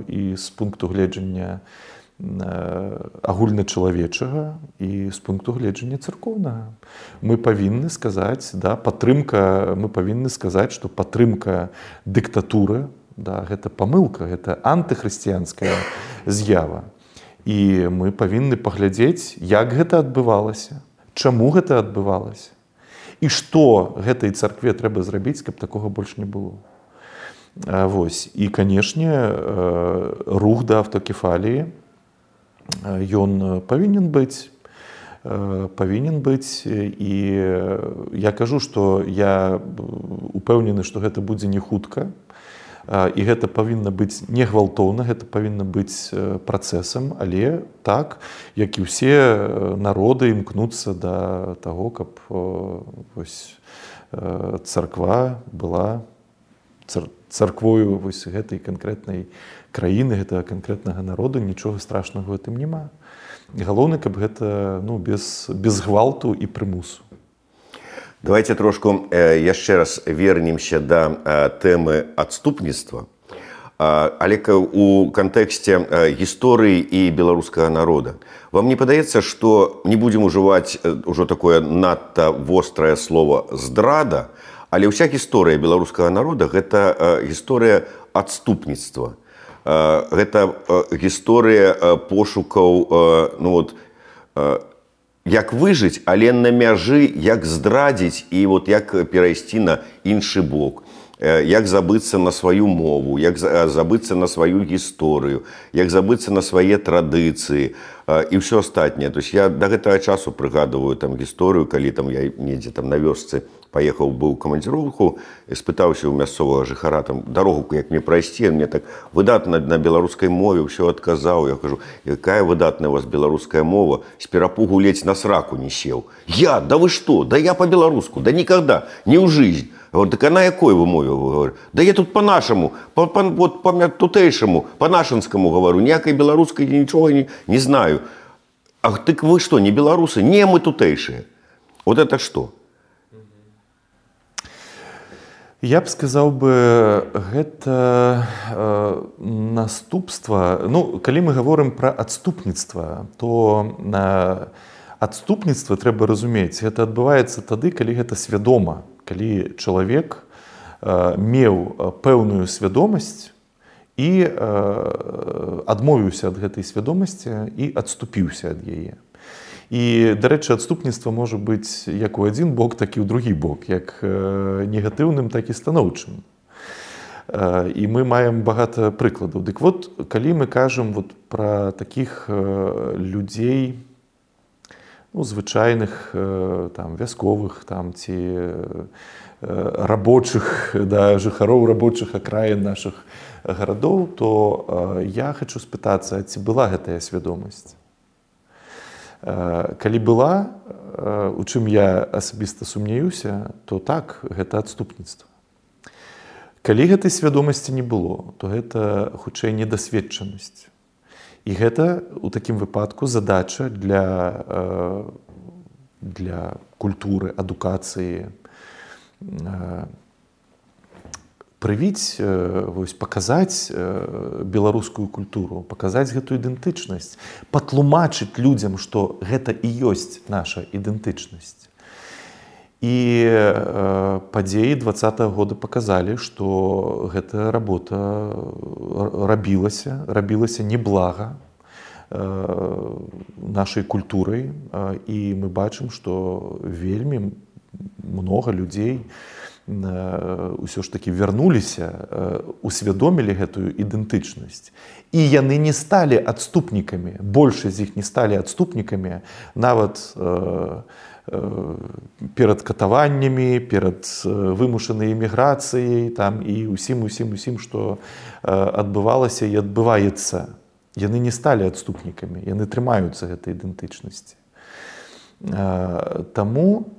і з пункту гледжання агульначалавечага і з пункту гледжання царкоўнага. Мы павінны сказаць, да, падтрымка, мы павінны сказаць, што падтрымка дыктатуры, да, гэта памылка, гэта антыхрысціянская з'ява. І мы павінны паглядзець, як гэта адбывалася, чаму гэта адбывалася і што гэтай царкве трэба зрабіць, каб такога больш не было. Вось. І, канешне, рух да аўтакефаліі, ён павінен быць, павінен быць, і я кажу, што я упэўнены, што гэта будзе не хутка, і гэта павінна быць не гвалтоўна, гэта павінна быць працэсам, але так, як і ўсе народы імкнуцца да таго, каб вось, царква была царквою вось гэтай канкрэтнай краіны, гэтага канкрэтнага народа, нічога страшнага ў гэтым няма. Галоўнае, каб гэта, ну, без, без гвалту і прымусу. Давайте трошку э, яшчэ раз вернемся да э, тэмы адступніцтва, э, але у кантэксце э, гісторыі і беларускага народа. Вам не падаецца, што не будзем ужываць э, ўжо такое надта вострае слово «здрада», але ўся гісторыя беларускага народа – гэта э, гісторыя адступніцтва. Э, гэта э, гісторыя э, пошукаў, э, ну вот, э, як выжыць, але на мяжы, як здрадзіць і вот як перайсці на іншы бок. як забыцца на сваю мову, як забыцца на сваю гісторыю, як забыцца на свае традыцыі і ўсё астатняе. То есть я да гэтага часу прыгадываю там гісторыю, калі там я недзе там на вёсцы паехаў быў камандзіроўку, спытаўся ў мясцовага жыхара там дарогу, як мне прайсці, мне так выдатна на беларускай мове ўсё адказаў. Я кажу, якая выдатная у вас беларуская мова, з перапугу ледзь на сраку не сеў. Я, да вы што, да я по-беларуску, да никогда, не ў жизнь. Говорю, так а на якой вы мове? Говорю, да я тут по-нашаму, по, по, вот, по тутэйшаму, по-нашанскаму говорю, ніякай беларускай нічога не, не знаю. А так вы што, не беларусы? Не, мы тутэйшыя. Вот это что? Я б сказаў бы, гэта э, наступства. Ну, калі мы гаворым пра адступніцтва, то э, адступніцтва трэба разумець, гэта адбываецца тады, калі гэта свядома, калі чалавек э, меў пэўную свядомасць і э, адмовіўся ад гэтай свядомасці і адступіўся ад яе. І, дарэчы, адступніцтва можа быць як у адзін бок, так і ў другі бок, як негатыўным, так і станоўчым. І мы маем багата прыкладаў. Дык вот, калі мы кажам вот пра такіх людзей, ну, звычайных, там, вясковых, там, ці рабочых, да, жыхароў рабочых акраін нашых гарадоў, то я хачу спытацца, ці была гэтая свядомасць? Калі была, у чым я асабіста сумняюся, то так, гэта адступніцтва. Калі гэтай свядомасці не было, то гэта хутчэй недасведчанасць. І гэта у такім выпадку задача для, для культуры, адукацыі, прывіць, вось, паказаць беларускую культуру, паказаць гэтую ідэнтычнасць, патлумачыць людзям, што гэта і ёсць наша ідэнтычнасць. І падзеі дваццатага года паказалі, што гэтая работа рабілася, рабілася неблага нашай культурай, і мы бачым, што вельмі многа людзей ўсё ж такі вярнуліся, усвядомілі гэтую ідэнтычнасць. І яны не сталі адступнікамі, большасць з іх не сталі адступнікамі нават э, э, перад катаваннямі, перад вымушанай эміграцыяй там, і усім, усім, усім, што э, адбывалася і адбываецца. Яны не сталі адступнікамі, яны трымаюцца гэтай ідэнтычнасці. Э, таму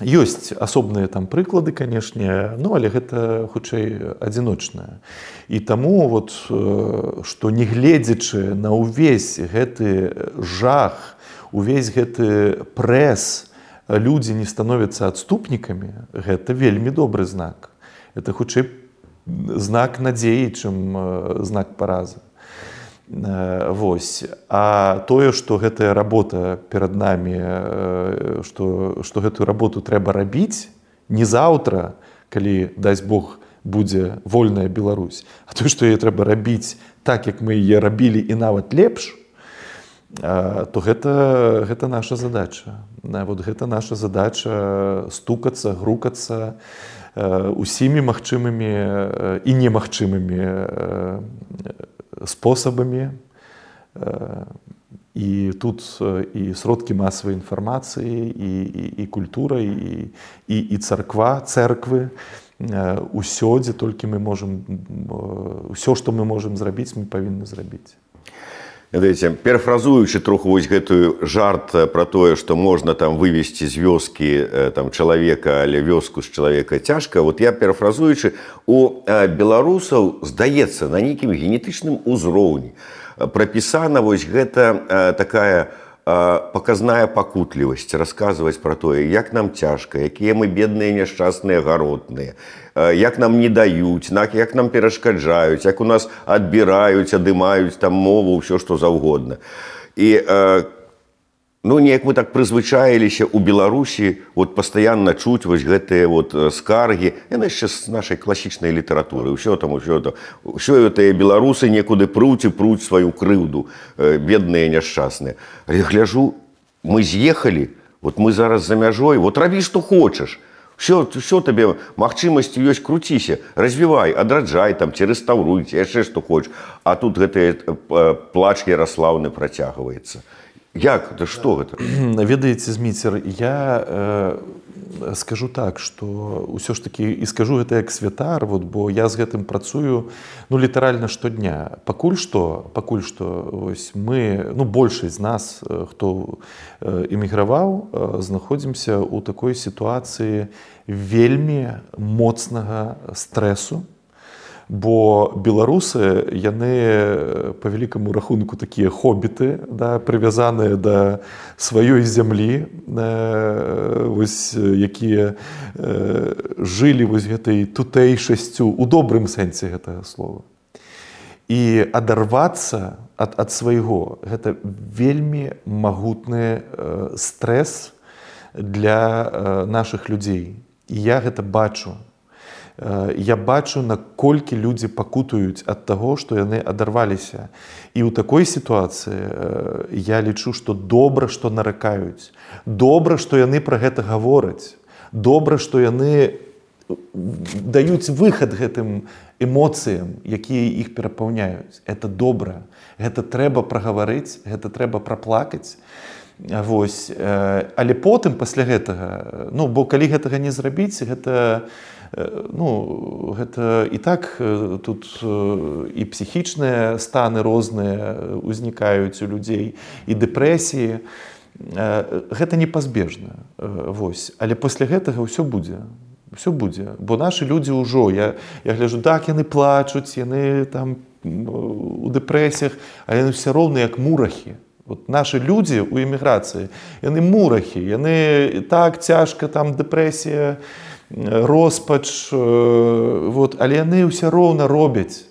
ёсць асобныя там прыклады, канешне, ну, але гэта хутчэй адзіночнае. І таму, вот, што не гледзячы на ўвесь гэты жах, увесь гэты прэс, людзі не становяцца адступнікамі, гэта вельмі добры знак. Это хутчэй знак надзеі, чым знак паразы. Вось. А тое, што гэтая работа перад намі, што, што гэтую работу трэба рабіць не заўтра, калі, дасць Бог, будзе вольная Беларусь, а тое, што яе трэба рабіць так, як мы яе рабілі і нават лепш, то гэта, гэта наша задача. Вот гэта наша задача стукацца, грукацца усімі магчымымі і немагчымымі спосабамі. І тут і сродкі масавай інфармацыі, і, і, і культура, і, і, і царква, церквы, усё, дзе толькі мы можам, усё, што мы можам зрабіць, мы павінны зрабіць. Ведаеце, перафразуючы троху вось гэтую жарт пра тое, што можна там вывесці з вёскі там чалавека, але вёску з чалавека цяжка, вот я перафразуючы, у беларусаў, здаецца, на нейкім генетычным узроўні прапісана вось гэта такая паказная пакутлівасць, расказваць пра тое, як нам цяжка, якія мы бедныя, няшчасныя, гаротныя, як нам не даюць, як нам перашкаджаюць, як у нас адбіраюць, адымаюць там мову, ўсё што заўгодна. І ну, неяк мы так прызвычаіліся ў Беларусі вот пастаянна чуць вось гэтыя вот скаргі, яны яшчэ з нашай класічнай літаратуры, ўсё там, ўсё там, ўсё гэтыя беларусы некуды пруць і пруць сваю крыўду, бедныя, няшчасныя. Але гляжу, мы з'ехалі, вот мы зараз за мяжой, вот рабі, што хочаш. Що, що тебе магчымасці ёсць, круціся, развівай, адраджай, там, ці рэстаўруй, ці яшчэ што хочаш. А тут гэты плач Яраслаўны працягваецца. Як? Это што гэта? Ведаеце, Зміцер, я э, скажу так, што ўсё ж такі, і скажу гэта як святар, вот, бо я з гэтым працую ну, літаральна штодня. Пакуль што, пакуль што ось, мы, ну, большасць з нас, хто эміграваў, знаходзімся ў такой сітуацыі вельмі моцнага стрэсу. Бо беларусы, яны па вялікаму рахунку такія хобіты, да, прывязаныя да сваёй зямлі, э, вось, якія э, жылі вось гэтай тутэйшасцю у добрым сэнсе гэтага слова. І адарвацца ад, ад свайго, гэта вельмі магутны э, стрэс для э, нашых людзей. І я гэта бачу. Я бачу, наколькі людзі пакутаюць ад таго, што яны адарваліся. І ў такой сітуацыі я лічу, што добра, што наракаюць. Добра, што яны пра гэта гавораць. Добра, што яны даюць выхад гэтым эмоцыям, якія іх перапаўняюць. Это добра. Гэта трэба прагаварыць, гэта трэба праплакаць. Вось. Але потым, пасля гэтага, ну, бо калі гэтага не зрабіць, гэта ну, гэта і так тут і псіхічныя станы розныя узнікаюць у людзей, і дэпрэсіі. Гэта непазбежна. Вось. Але пасля гэтага ўсё будзе. Ўсё будзе. Бо нашы людзі ўжо, я, я гляджу, так, яны плачуць, яны там у дэпрэсіях, а яны ўсё роўна як мурахі. Вот нашы людзі ў эміграцыі, яны мурахі, яны так цяжка, там дэпрэсія, роспач, вот, але яны ўсё роўна робяць,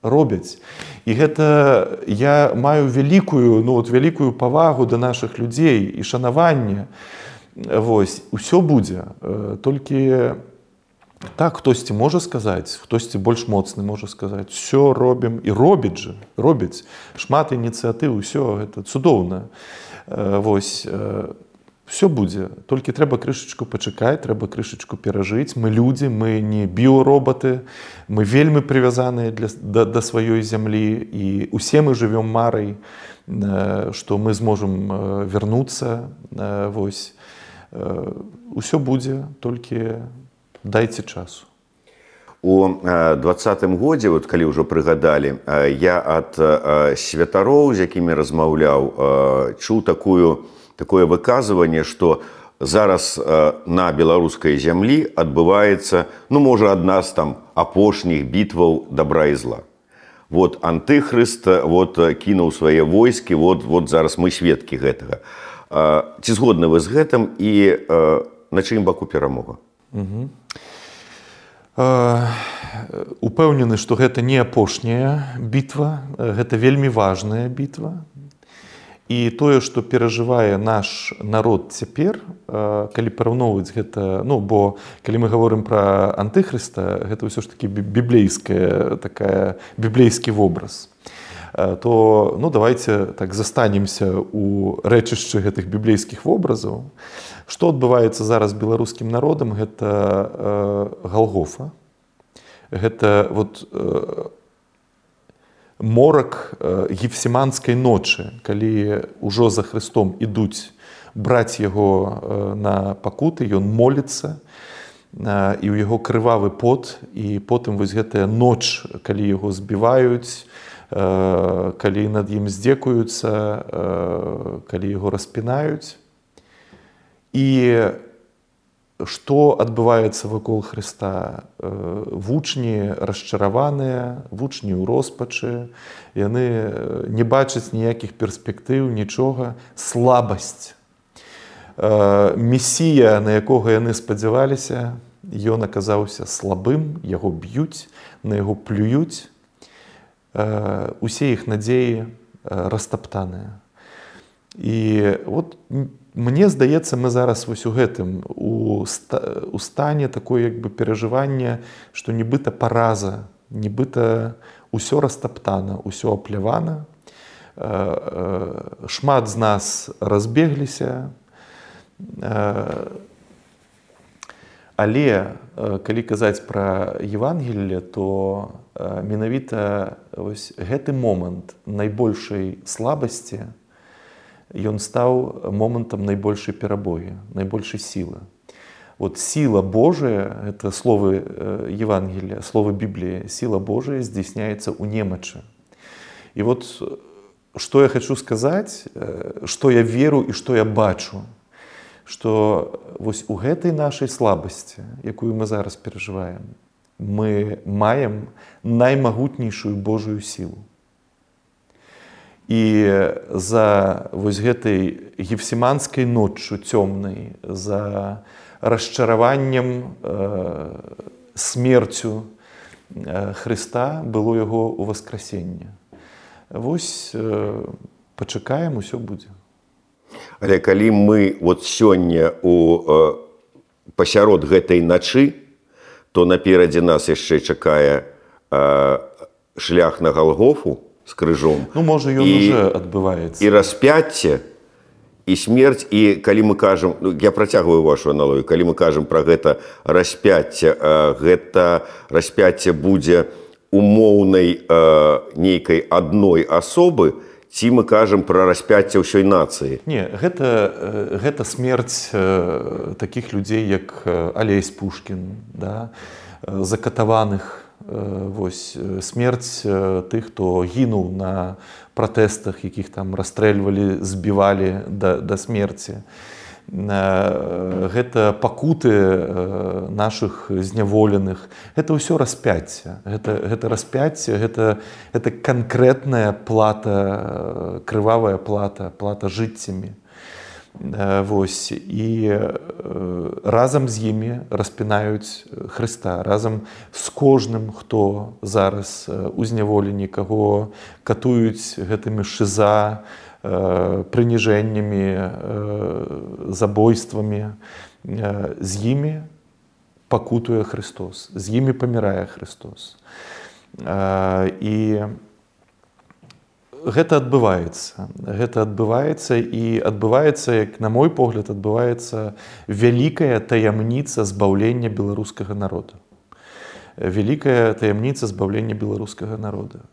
робяць. І гэта я маю вялікую, ну, вот, вялікую павагу да нашых людзей і шанаванне. Вось, усё будзе. Толькі так хтосьці можа сказаць, хтосьці больш моцны можа сказаць, усё робім, і робіць жа, робіць. Шмат ініцыятыў, усё гэта цудоўна. Вось, все будзе, толькі трэба крышачку пачакаць, трэба крышачку перажыць. Мы людзі, мы не біороботы, мы вельмі прывязаныя для, да, да сваёй зямлі, і усе мы жывём марай, што мы зможам вярнуцца. Вось. Усё будзе, толькі дайце часу. У двадцатым годзе, вот, калі ўжо прыгадалі, я ад святароў, з якімі размаўляў, чуў такую такое выказыванне, што зараз на беларускай зямлі адбываецца, ну, можа, адна з там апошніх бітваў добра і зла. Вот антыхрыст вот, кінуў свае войскі, вот, вот зараз мы сведкі гэтага. Ці згодны вы з гэтым і на чыім баку перамога? Угу. Упэўнены, што гэта не апошняя бітва, гэта вельмі важная бітва. І тое, што перажывае наш народ цяпер, калі параўноўваць гэта, ну, бо калі мы гаворым пра антыхрыста, гэта ўсё ж такі біблейская такая, біблейскі вобраз, то, ну, давайте так застанемся у рэчышчы гэтых біблейскіх вобразаў. Што адбываецца зараз беларускім народам? Гэта Галгофа. Гэта вот морак гефсіманскай ночы, калі ўжо за Хрыстом ідуць браць яго на пакуты, ён моліцца, і ў яго крывавы пот, і потым вось гэтая ноч, калі яго збіваюць, калі над ім здзекуюцца, калі яго распінаюць. І што адбываецца вакол Хрыста? Вучні расчараваныя, вучні ў роспачы, яны не бачаць ніякіх перспектыў, нічога, слабасць. Месія, на якога яны спадзяваліся, ён аказаўся слабым, яго б'юць, на яго плююць. Усе іх надзеі растаптаныя. І от мне здаецца, мы зараз вось у гэтым, у, ста, у стане такое як бы перажывання, што нібыта параза, нібыта ўсё растаптана, ўсё аплявана. Шмат з нас разбегліся. Але калі казаць пра Евангелле, то менавіта вось гэты момант найбольшай слабасці ён стаў момантам найбольшай перамогі, найбольшай сілы. Вот сила Божия, это слово Евангелия, слово Библии, сила Божия здійсняется у немочи. И вот что я хочу сказать, что я веру и что я бачу, что вось у гэтай нашей слабости, якую мы зараз переживаем, мы маем наймагутнейшую Божию силу. И за вось гэтай гефсиманской ночью темной, за расчараваннем, э, смерцю э, Христа было Яго уваскрасенне. Вось э, пачакаем, усё будзе. Але калі мы вот сёння у э, пасярод гэтай начы, то наперадзе нас яшчэ чакае э, шлях на Галгофу з крыжом. Ну, можа, ён і, уже адбываецца. І распяцце, і смерць, і калі мы кажам, ну, я працягваю вашу аналогію, калі мы кажам пра гэта распяцце, гэта распяцце будзе умоўнай нейкай адной асобы, ці мы кажам пра распяцце ўсёй нацыі? Не, гэта, гэта смерць такіх людзей, як Алесь Пушкін, да? Закатаваных, вось, смерць тых, хто гінуў на пратэстах, якіх там расстрэльвалі, збівалі да, да смерці. Гэта пакуты нашых зняволеных. Гэта ўсё распяцце. Гэта, гэта распяцце, гэта, гэта канкрэтная плата, крывавая плата, плата жыццямі. Вось, і разам з імі распінаюць Хрыста, разам з кожным, хто зараз у зняволенні, каго катуюць гэтымі шыза, прыніжэннямі, забойствамі, з імі пакутуе Христос, з імі памірае Христос. І гэта адбываецца. Гэта адбываецца і адбываецца, як на мой погляд, адбываецца вялікая таямніца збаўлення беларускага народа. Вялікая таямніца збаўлення беларускага народа.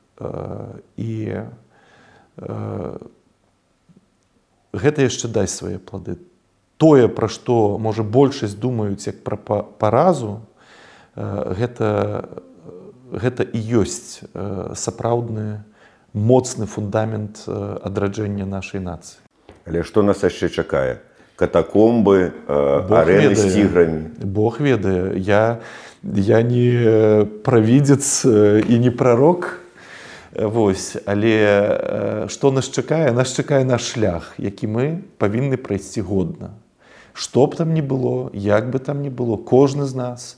І гэта яшчэ дасць свае плады. Тое, пра што, можа, большасць думаюць як пра паразу, гэта, гэта і ёсць сапраўдны моцны фундамент адраджэння нашай нацыі. Але што нас яшчэ чакае? Катакомбы, арэны з ціграмі? Бог ведае. Я, я не правідзец і не прарок. Вось. Але што нас чакае? Нас чакае наш шлях, які мы павінны прайсці годна. Што б там ні было, як бы там ні было, кожны з нас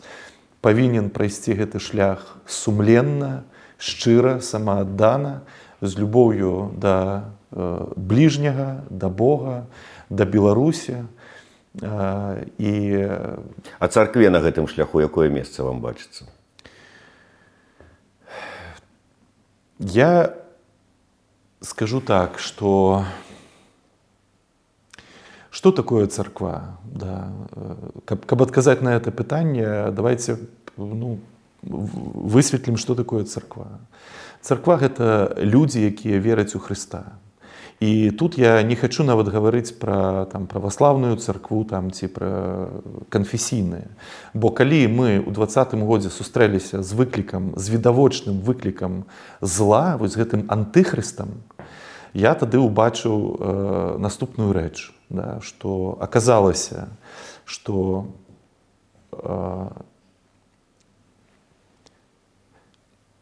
павінен прайсці гэты шлях сумленна, шчыра, самааддана, з любоўю да э, бліжняга, да Бога, да Беларусі. Э, і... А царкве на гэтым шляху якое месца вам бачыцца? Я скажу так, что что такое царква? Да. Каб, каб адказаць на это пытанне, давайте ну, высветлім, что такое царква. Царква – гэта людзі, якія вераць у Хрыста. І тут я не хочу нават гаварыць пра там, праваслаўную царкву там, ці пра канфесійныя. Бо калі мы ў дваццатым годзе сустрэліся з выклікам, з відавочным выклікам зла, вось гэтым антыхрыстам, я тады ўбачыў э, наступную рэч, да, што аказалася, што э,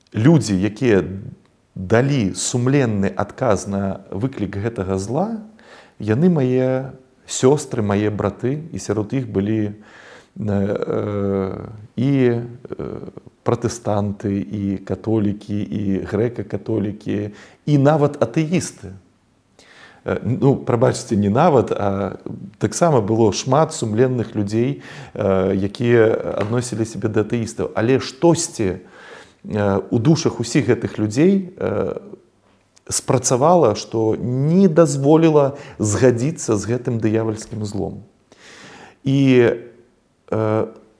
людзі, якія далі сумленны адказ на выклік гэтага зла, яны мае сёстры, мае браты, і сярод іх былі э, і э, пратэстанты, і католікі, і грэка-католікі, і нават атэісты. Ну, прабачце, не нават, а таксама было шмат сумленных людзей, э, якія адносілі сябе да атэістаў. Але штосьці у душах усіх гэтых людзей спрацавала, што не дазволіла згадзіцца з гэтым дыявальскім злом. І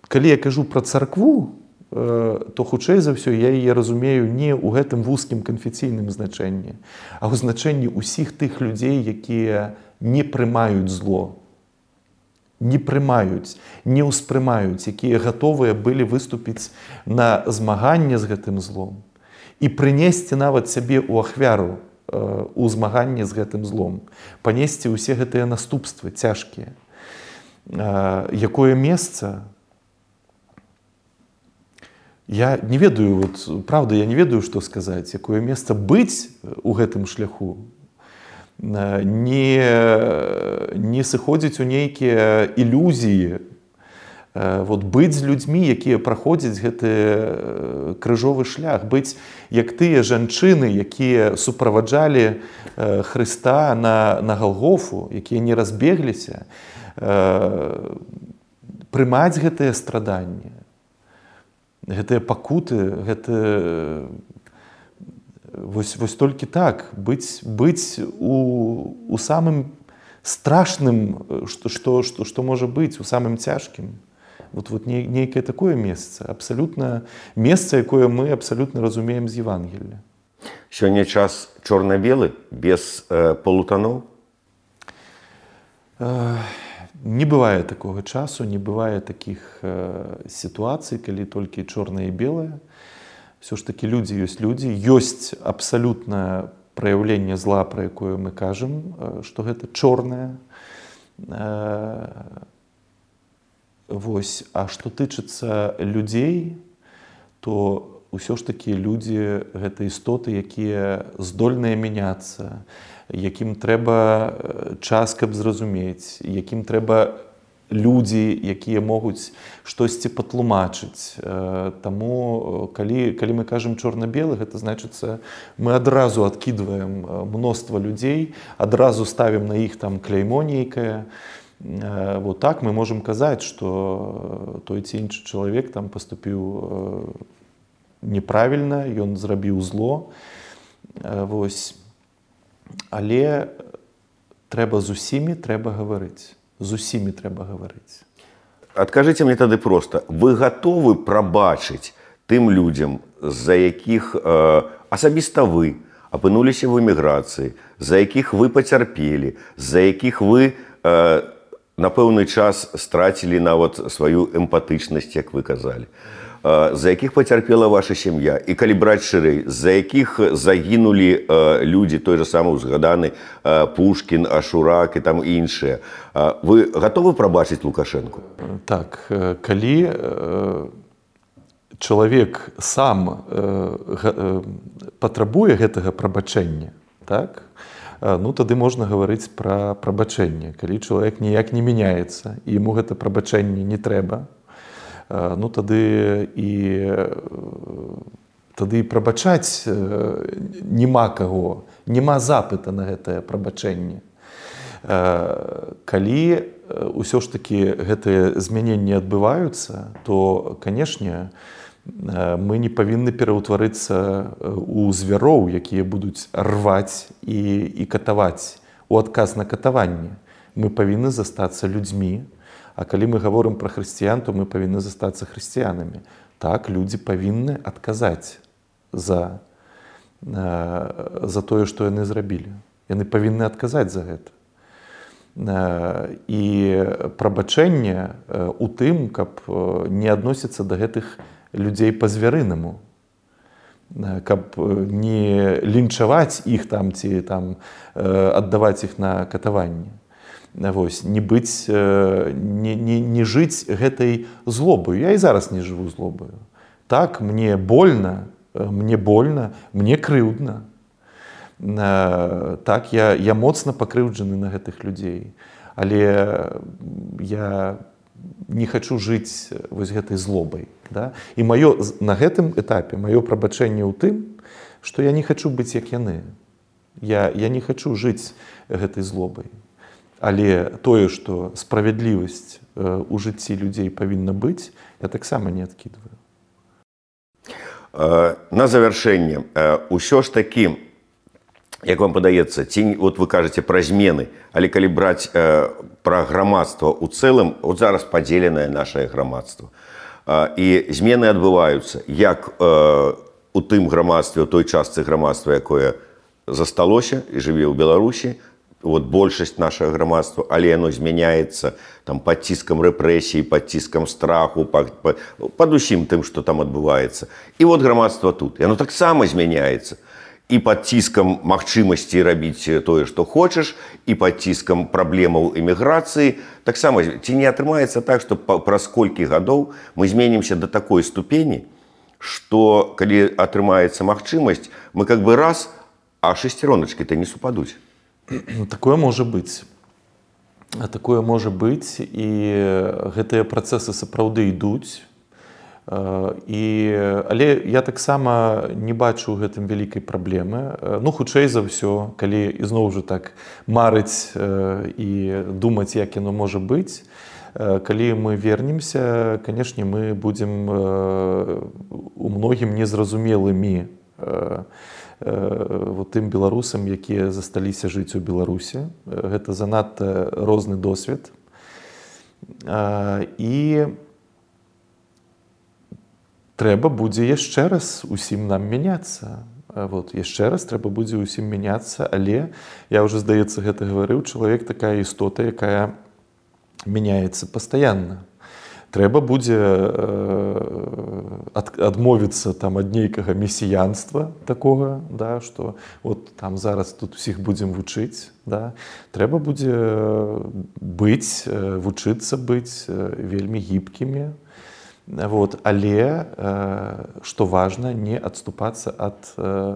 калі я кажу пра царкву, то хутчэй за ўсё я яе разумею не ў гэтым вузкім канфесійным значэнні, а ў значэнні ўсіх тых людзей, якія не прымаюць зло, не прымаюць, не ўспрымаюць, якія гатовыя былі выступіць на змаганне з гэтым злом і прынесці нават сябе ў ахвяру у змаганні з гэтым злом, панесці ўсе гэтыя наступствы цяжкія. Якое месца? Я не ведаю, вот, правда, я не ведаю, што сказаць, якое месца быць у гэтым шляху, не, не сыходзіць у нейкія ілюзіі, вот, быць з людзьмі, якія праходзяць гэты крыжовы шлях, быць як тыя жанчыны, якія суправаджалі Хрыста на, на Галгофу, якія не разбегліся, прымаць гэтыя страданні, гэтыя пакуты, гэта вось, вось толькі так, быць, быць у, у самым страшным, што, што, што, што можа быць, у самым цяжкім. Вот, вот нейкае такое месца, абсалютна месца, якое мы абсалютна разумеем з Евангелля. Сёння час чорна-белы, без э, полутоноў? Э, не бывае такога часу, не бывае такіх э, сітуацый, калі толькі чорнае і белае. Всё ж такі людзі ёсць людзі, ёсць абсалютнае праяўленне зла, пра якое мы кажам, э, што гэта чорнае. Э, Вось, а што тычыцца людзей, то ўсё ж такі людзі гэта істоты, якія здольныя мяняцца, якім трэба час, каб зразумець, якім трэба людзі, якія могуць штосьці патлумачыць. Таму, калі, калі мы кажам чорна-белы, гэта значыцца, мы адразу адкідваем мноства людзей, адразу ставім на іх там кляймо нейкае. Вот так мы можем казаць, што той ці іншы чалавек там паступіў неправільна, ён зрабіў зло. Вось. Але трэба з усімі трэба гаварыць. З усімі трэба гаварыць. Адкажыце мне тады проста, вы гатовы прабачыць тым людзям, з-за якіх э, асабіста вы апынуліся в эміграцыі, за якіх вы пацярпелі, з-за якіх вы э, на пэўны час страцілі нават сваю эмпатычнасць, як вы казалі, за якіх пацярпела ваша сям'я, і калі браць шырэй, за якіх загінулі людзі, той жа самы узгаданы Пушкін, Ашурак і там іншыя. Вы гатовы прабачыць Лукашэнку? Так, калі чалавек сам патрабуе гэтага прабачэння, так, ну, тады можна гаварыць пра прабачэнне. Калі чалавек ніяк не мяняецца, і яму гэта прабачэнне не трэба, ну, тады і, тады і прабачаць няма каго, няма запыта на гэтае прабачэнне. Калі ўсё ж такі гэтыя змяненні адбываюцца, то, канешне, мы не павінны пераўтварыцца ў звяроў, якія будуць рваць і, і катаваць у адказ на катаванне. Мы павінны застацца людзьмі, а калі мы гаворым пра хрысціян, то мы павінны застацца хрысціянамі. Так, людзі павінны адказаць за, за тое, што яны зрабілі. Яны павінны адказаць за гэта. І прабачэнне у тым, каб не адносіцца да гэтых людзей па-звярынаму, каб не лінчаваць іх там ці там аддаваць іх на катаванне. Вось, не быць, не, не, не жыць гэтай злобаю. Я і зараз не жыву злобаю. Так, мне больна, мне больна, мне крыўдна. Так, я, я моцна пакрыўджаны на гэтых людзей. Але я не хачу жыць вось гэтай злобай. Да? І маё, на гэтым этапе маё прабачэнне ў тым, што я не хачу быць як яны. Я, я не хачу жыць гэтай злобай. Але тое, што справядлівасць у жыцці людзей павінна быць, я таксама не адкідваю. На завяршэнне, усё ж такі, як вам падаецца, ці, от вы кажаце пра змены, але калі браць пра грамадства ў цэлым, от зараз падзеленае нашае грамадства, і змены адбываюцца як у тым грамадстве, у той частцы грамадства, якое засталося і жыве ў Беларусі, вот большасць нашага грамадства, але яно змяняецца там пад ціскам рэпрэсій, пад ціскам страху, пад, пад, пад усім тым, што там адбываецца. І вот грамадства тут, яно таксама змяняецца. І пад ціскам магчымасці рабіць тое, што хочаш, і пад ціскам праблемаў эміграцыі. Таксама, ці не атрымаецца так, што праз колькі гадоў мы зменімся да такой ступені, што, калі атрымаецца магчымасць, мы как бы раз, а шестероночкі-то не супадуць. Такое можа быць. Такое можа быць, і гэтыя працэсы сапраўды ідуць. І, але я таксама не бачу ў гэтым вялікай праблемы. Ну, хутчэй за ўсё, калі ізноў жа так марыць і думаць, як яно можа быць, калі мы вернемся, канешне, мы будзем у многім незразумелымі вот тым беларусам, якія засталіся жыць у Беларусі. Гэта занадта розны досвед. І трэба будзе яшчэ раз усім нам мяняцца. Вот, яшчэ раз трэба будзе усім мяняцца, але, я ўжо, здаецца, гэта гаварыў, чалавек такая істота, якая мяняецца пастаянна. Трэба будзе ад, адмовіцца там ад нейкага месіянства такога, да, што вот там зараз тут усіх будзем вучыць. Да. Трэба будзе быць, вучыцца быць вельмі гібкімі. Вот, але, што важна, не адступацца ад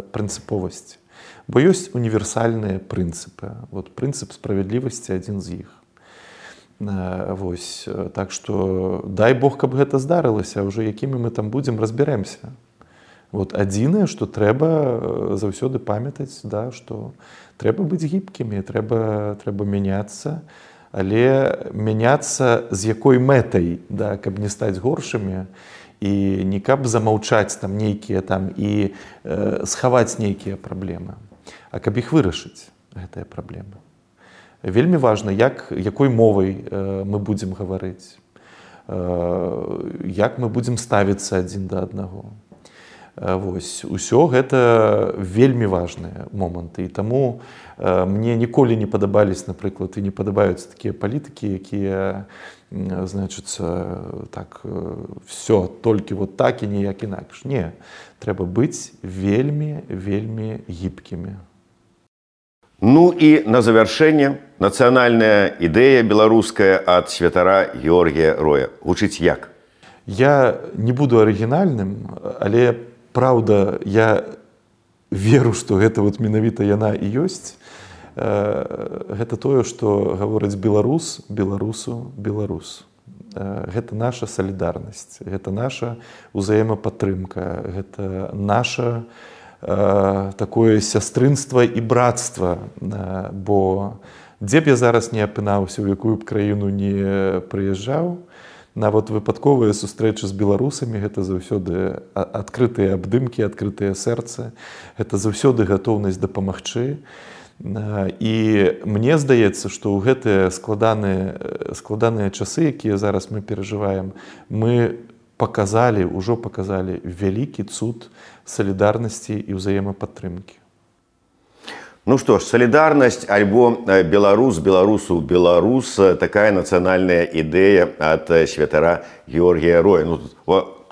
прынцыповасці. Бо ёсць універсальныя прынцыпы. Вот, прынцып справядлівасці адзін з іх. Вось, так што дай Бог, каб гэта здарылася, а ўжо якімі мы там будзем, разбярэмся. Вот, адзінае, што трэба заўсёды памятаць, да, што трэба быць гібкімі, трэба, трэба мяняцца, але мяняцца з якой мэтай, да, каб не стаць горшымі і не каб замаўчаць там нейкія там і э, схаваць нейкія праблемы, а каб іх вырашыць, гэтыя праблемы. Вельмі важна, як, якой мовай э, мы будзем гаварыць, э, як мы будзем ставіцца адзін да аднаго. Э, вось, усё гэта вельмі важныя моманты. І таму э, мне ніколі не падабались, напрыклад, і не падабаюцца такія палітыкі, якія, значыцца, так, все, толькі вот так і ніяк інакш. Не, трэба быць вельмі, вельмі гібкімі. Ну і на завяршэнне нацыянальная ідэя беларуская ад святара Георгія Роя. Гучыць як? Я не буду арыгінальным, але, праўда, я веру, што гэта вот менавіта яна і ёсць. Гэта тое, што гаворыць беларус, беларусу, беларус. Гэта наша салідарнасць, гэта наша ўзаемапатрымка, гэта наша такое сястрынства і братства, бо дзе б я зараз не апынаўся, у якую б краіну не прыязджаў, нават выпадковыя сустрэчы з беларусамі, гэта заўсёды адкрытыя абдымкі, адкрытыя сэрцы, гэта заўсёды гатоўнасць дапамагчы. І мне здаецца, што ў гэтыя складаныя, складаныя часы, якія зараз мы перажываем, мы показалі, ўжо показалі вялікі цуд салідарнасці і ўзаемапатрымкі. Ну што ж, салідарнасць альбо беларус, беларусу, беларус, такая нацыянальная ідэя ад святара Георгія Роя. Ну,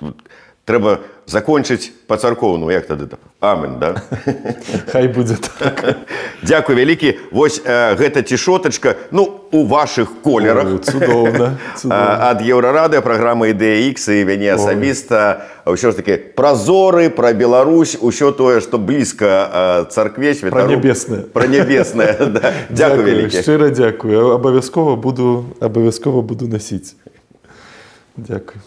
тут трэба закончыць па-царкоўнаму, як тады там? Амен, да? Хай будзе так. Дзякуй вялікі. Вось э, гэта цішотачка, ну, у вашых колерах. О, цудоўна, цудоўна. Ад Еўрарадыё, праграмы «Ідэя Ікс» і мяне асабіста. Ўсё ж такі празоры, пра Беларусь, усё тое, што блізка царкве, святару. Пра нябеснае. Пра нябеснае, да. Дзякуй вялікі. Шчыра дзякую. Абавязкова буду, абавязкова буду насіць. Дзякуй.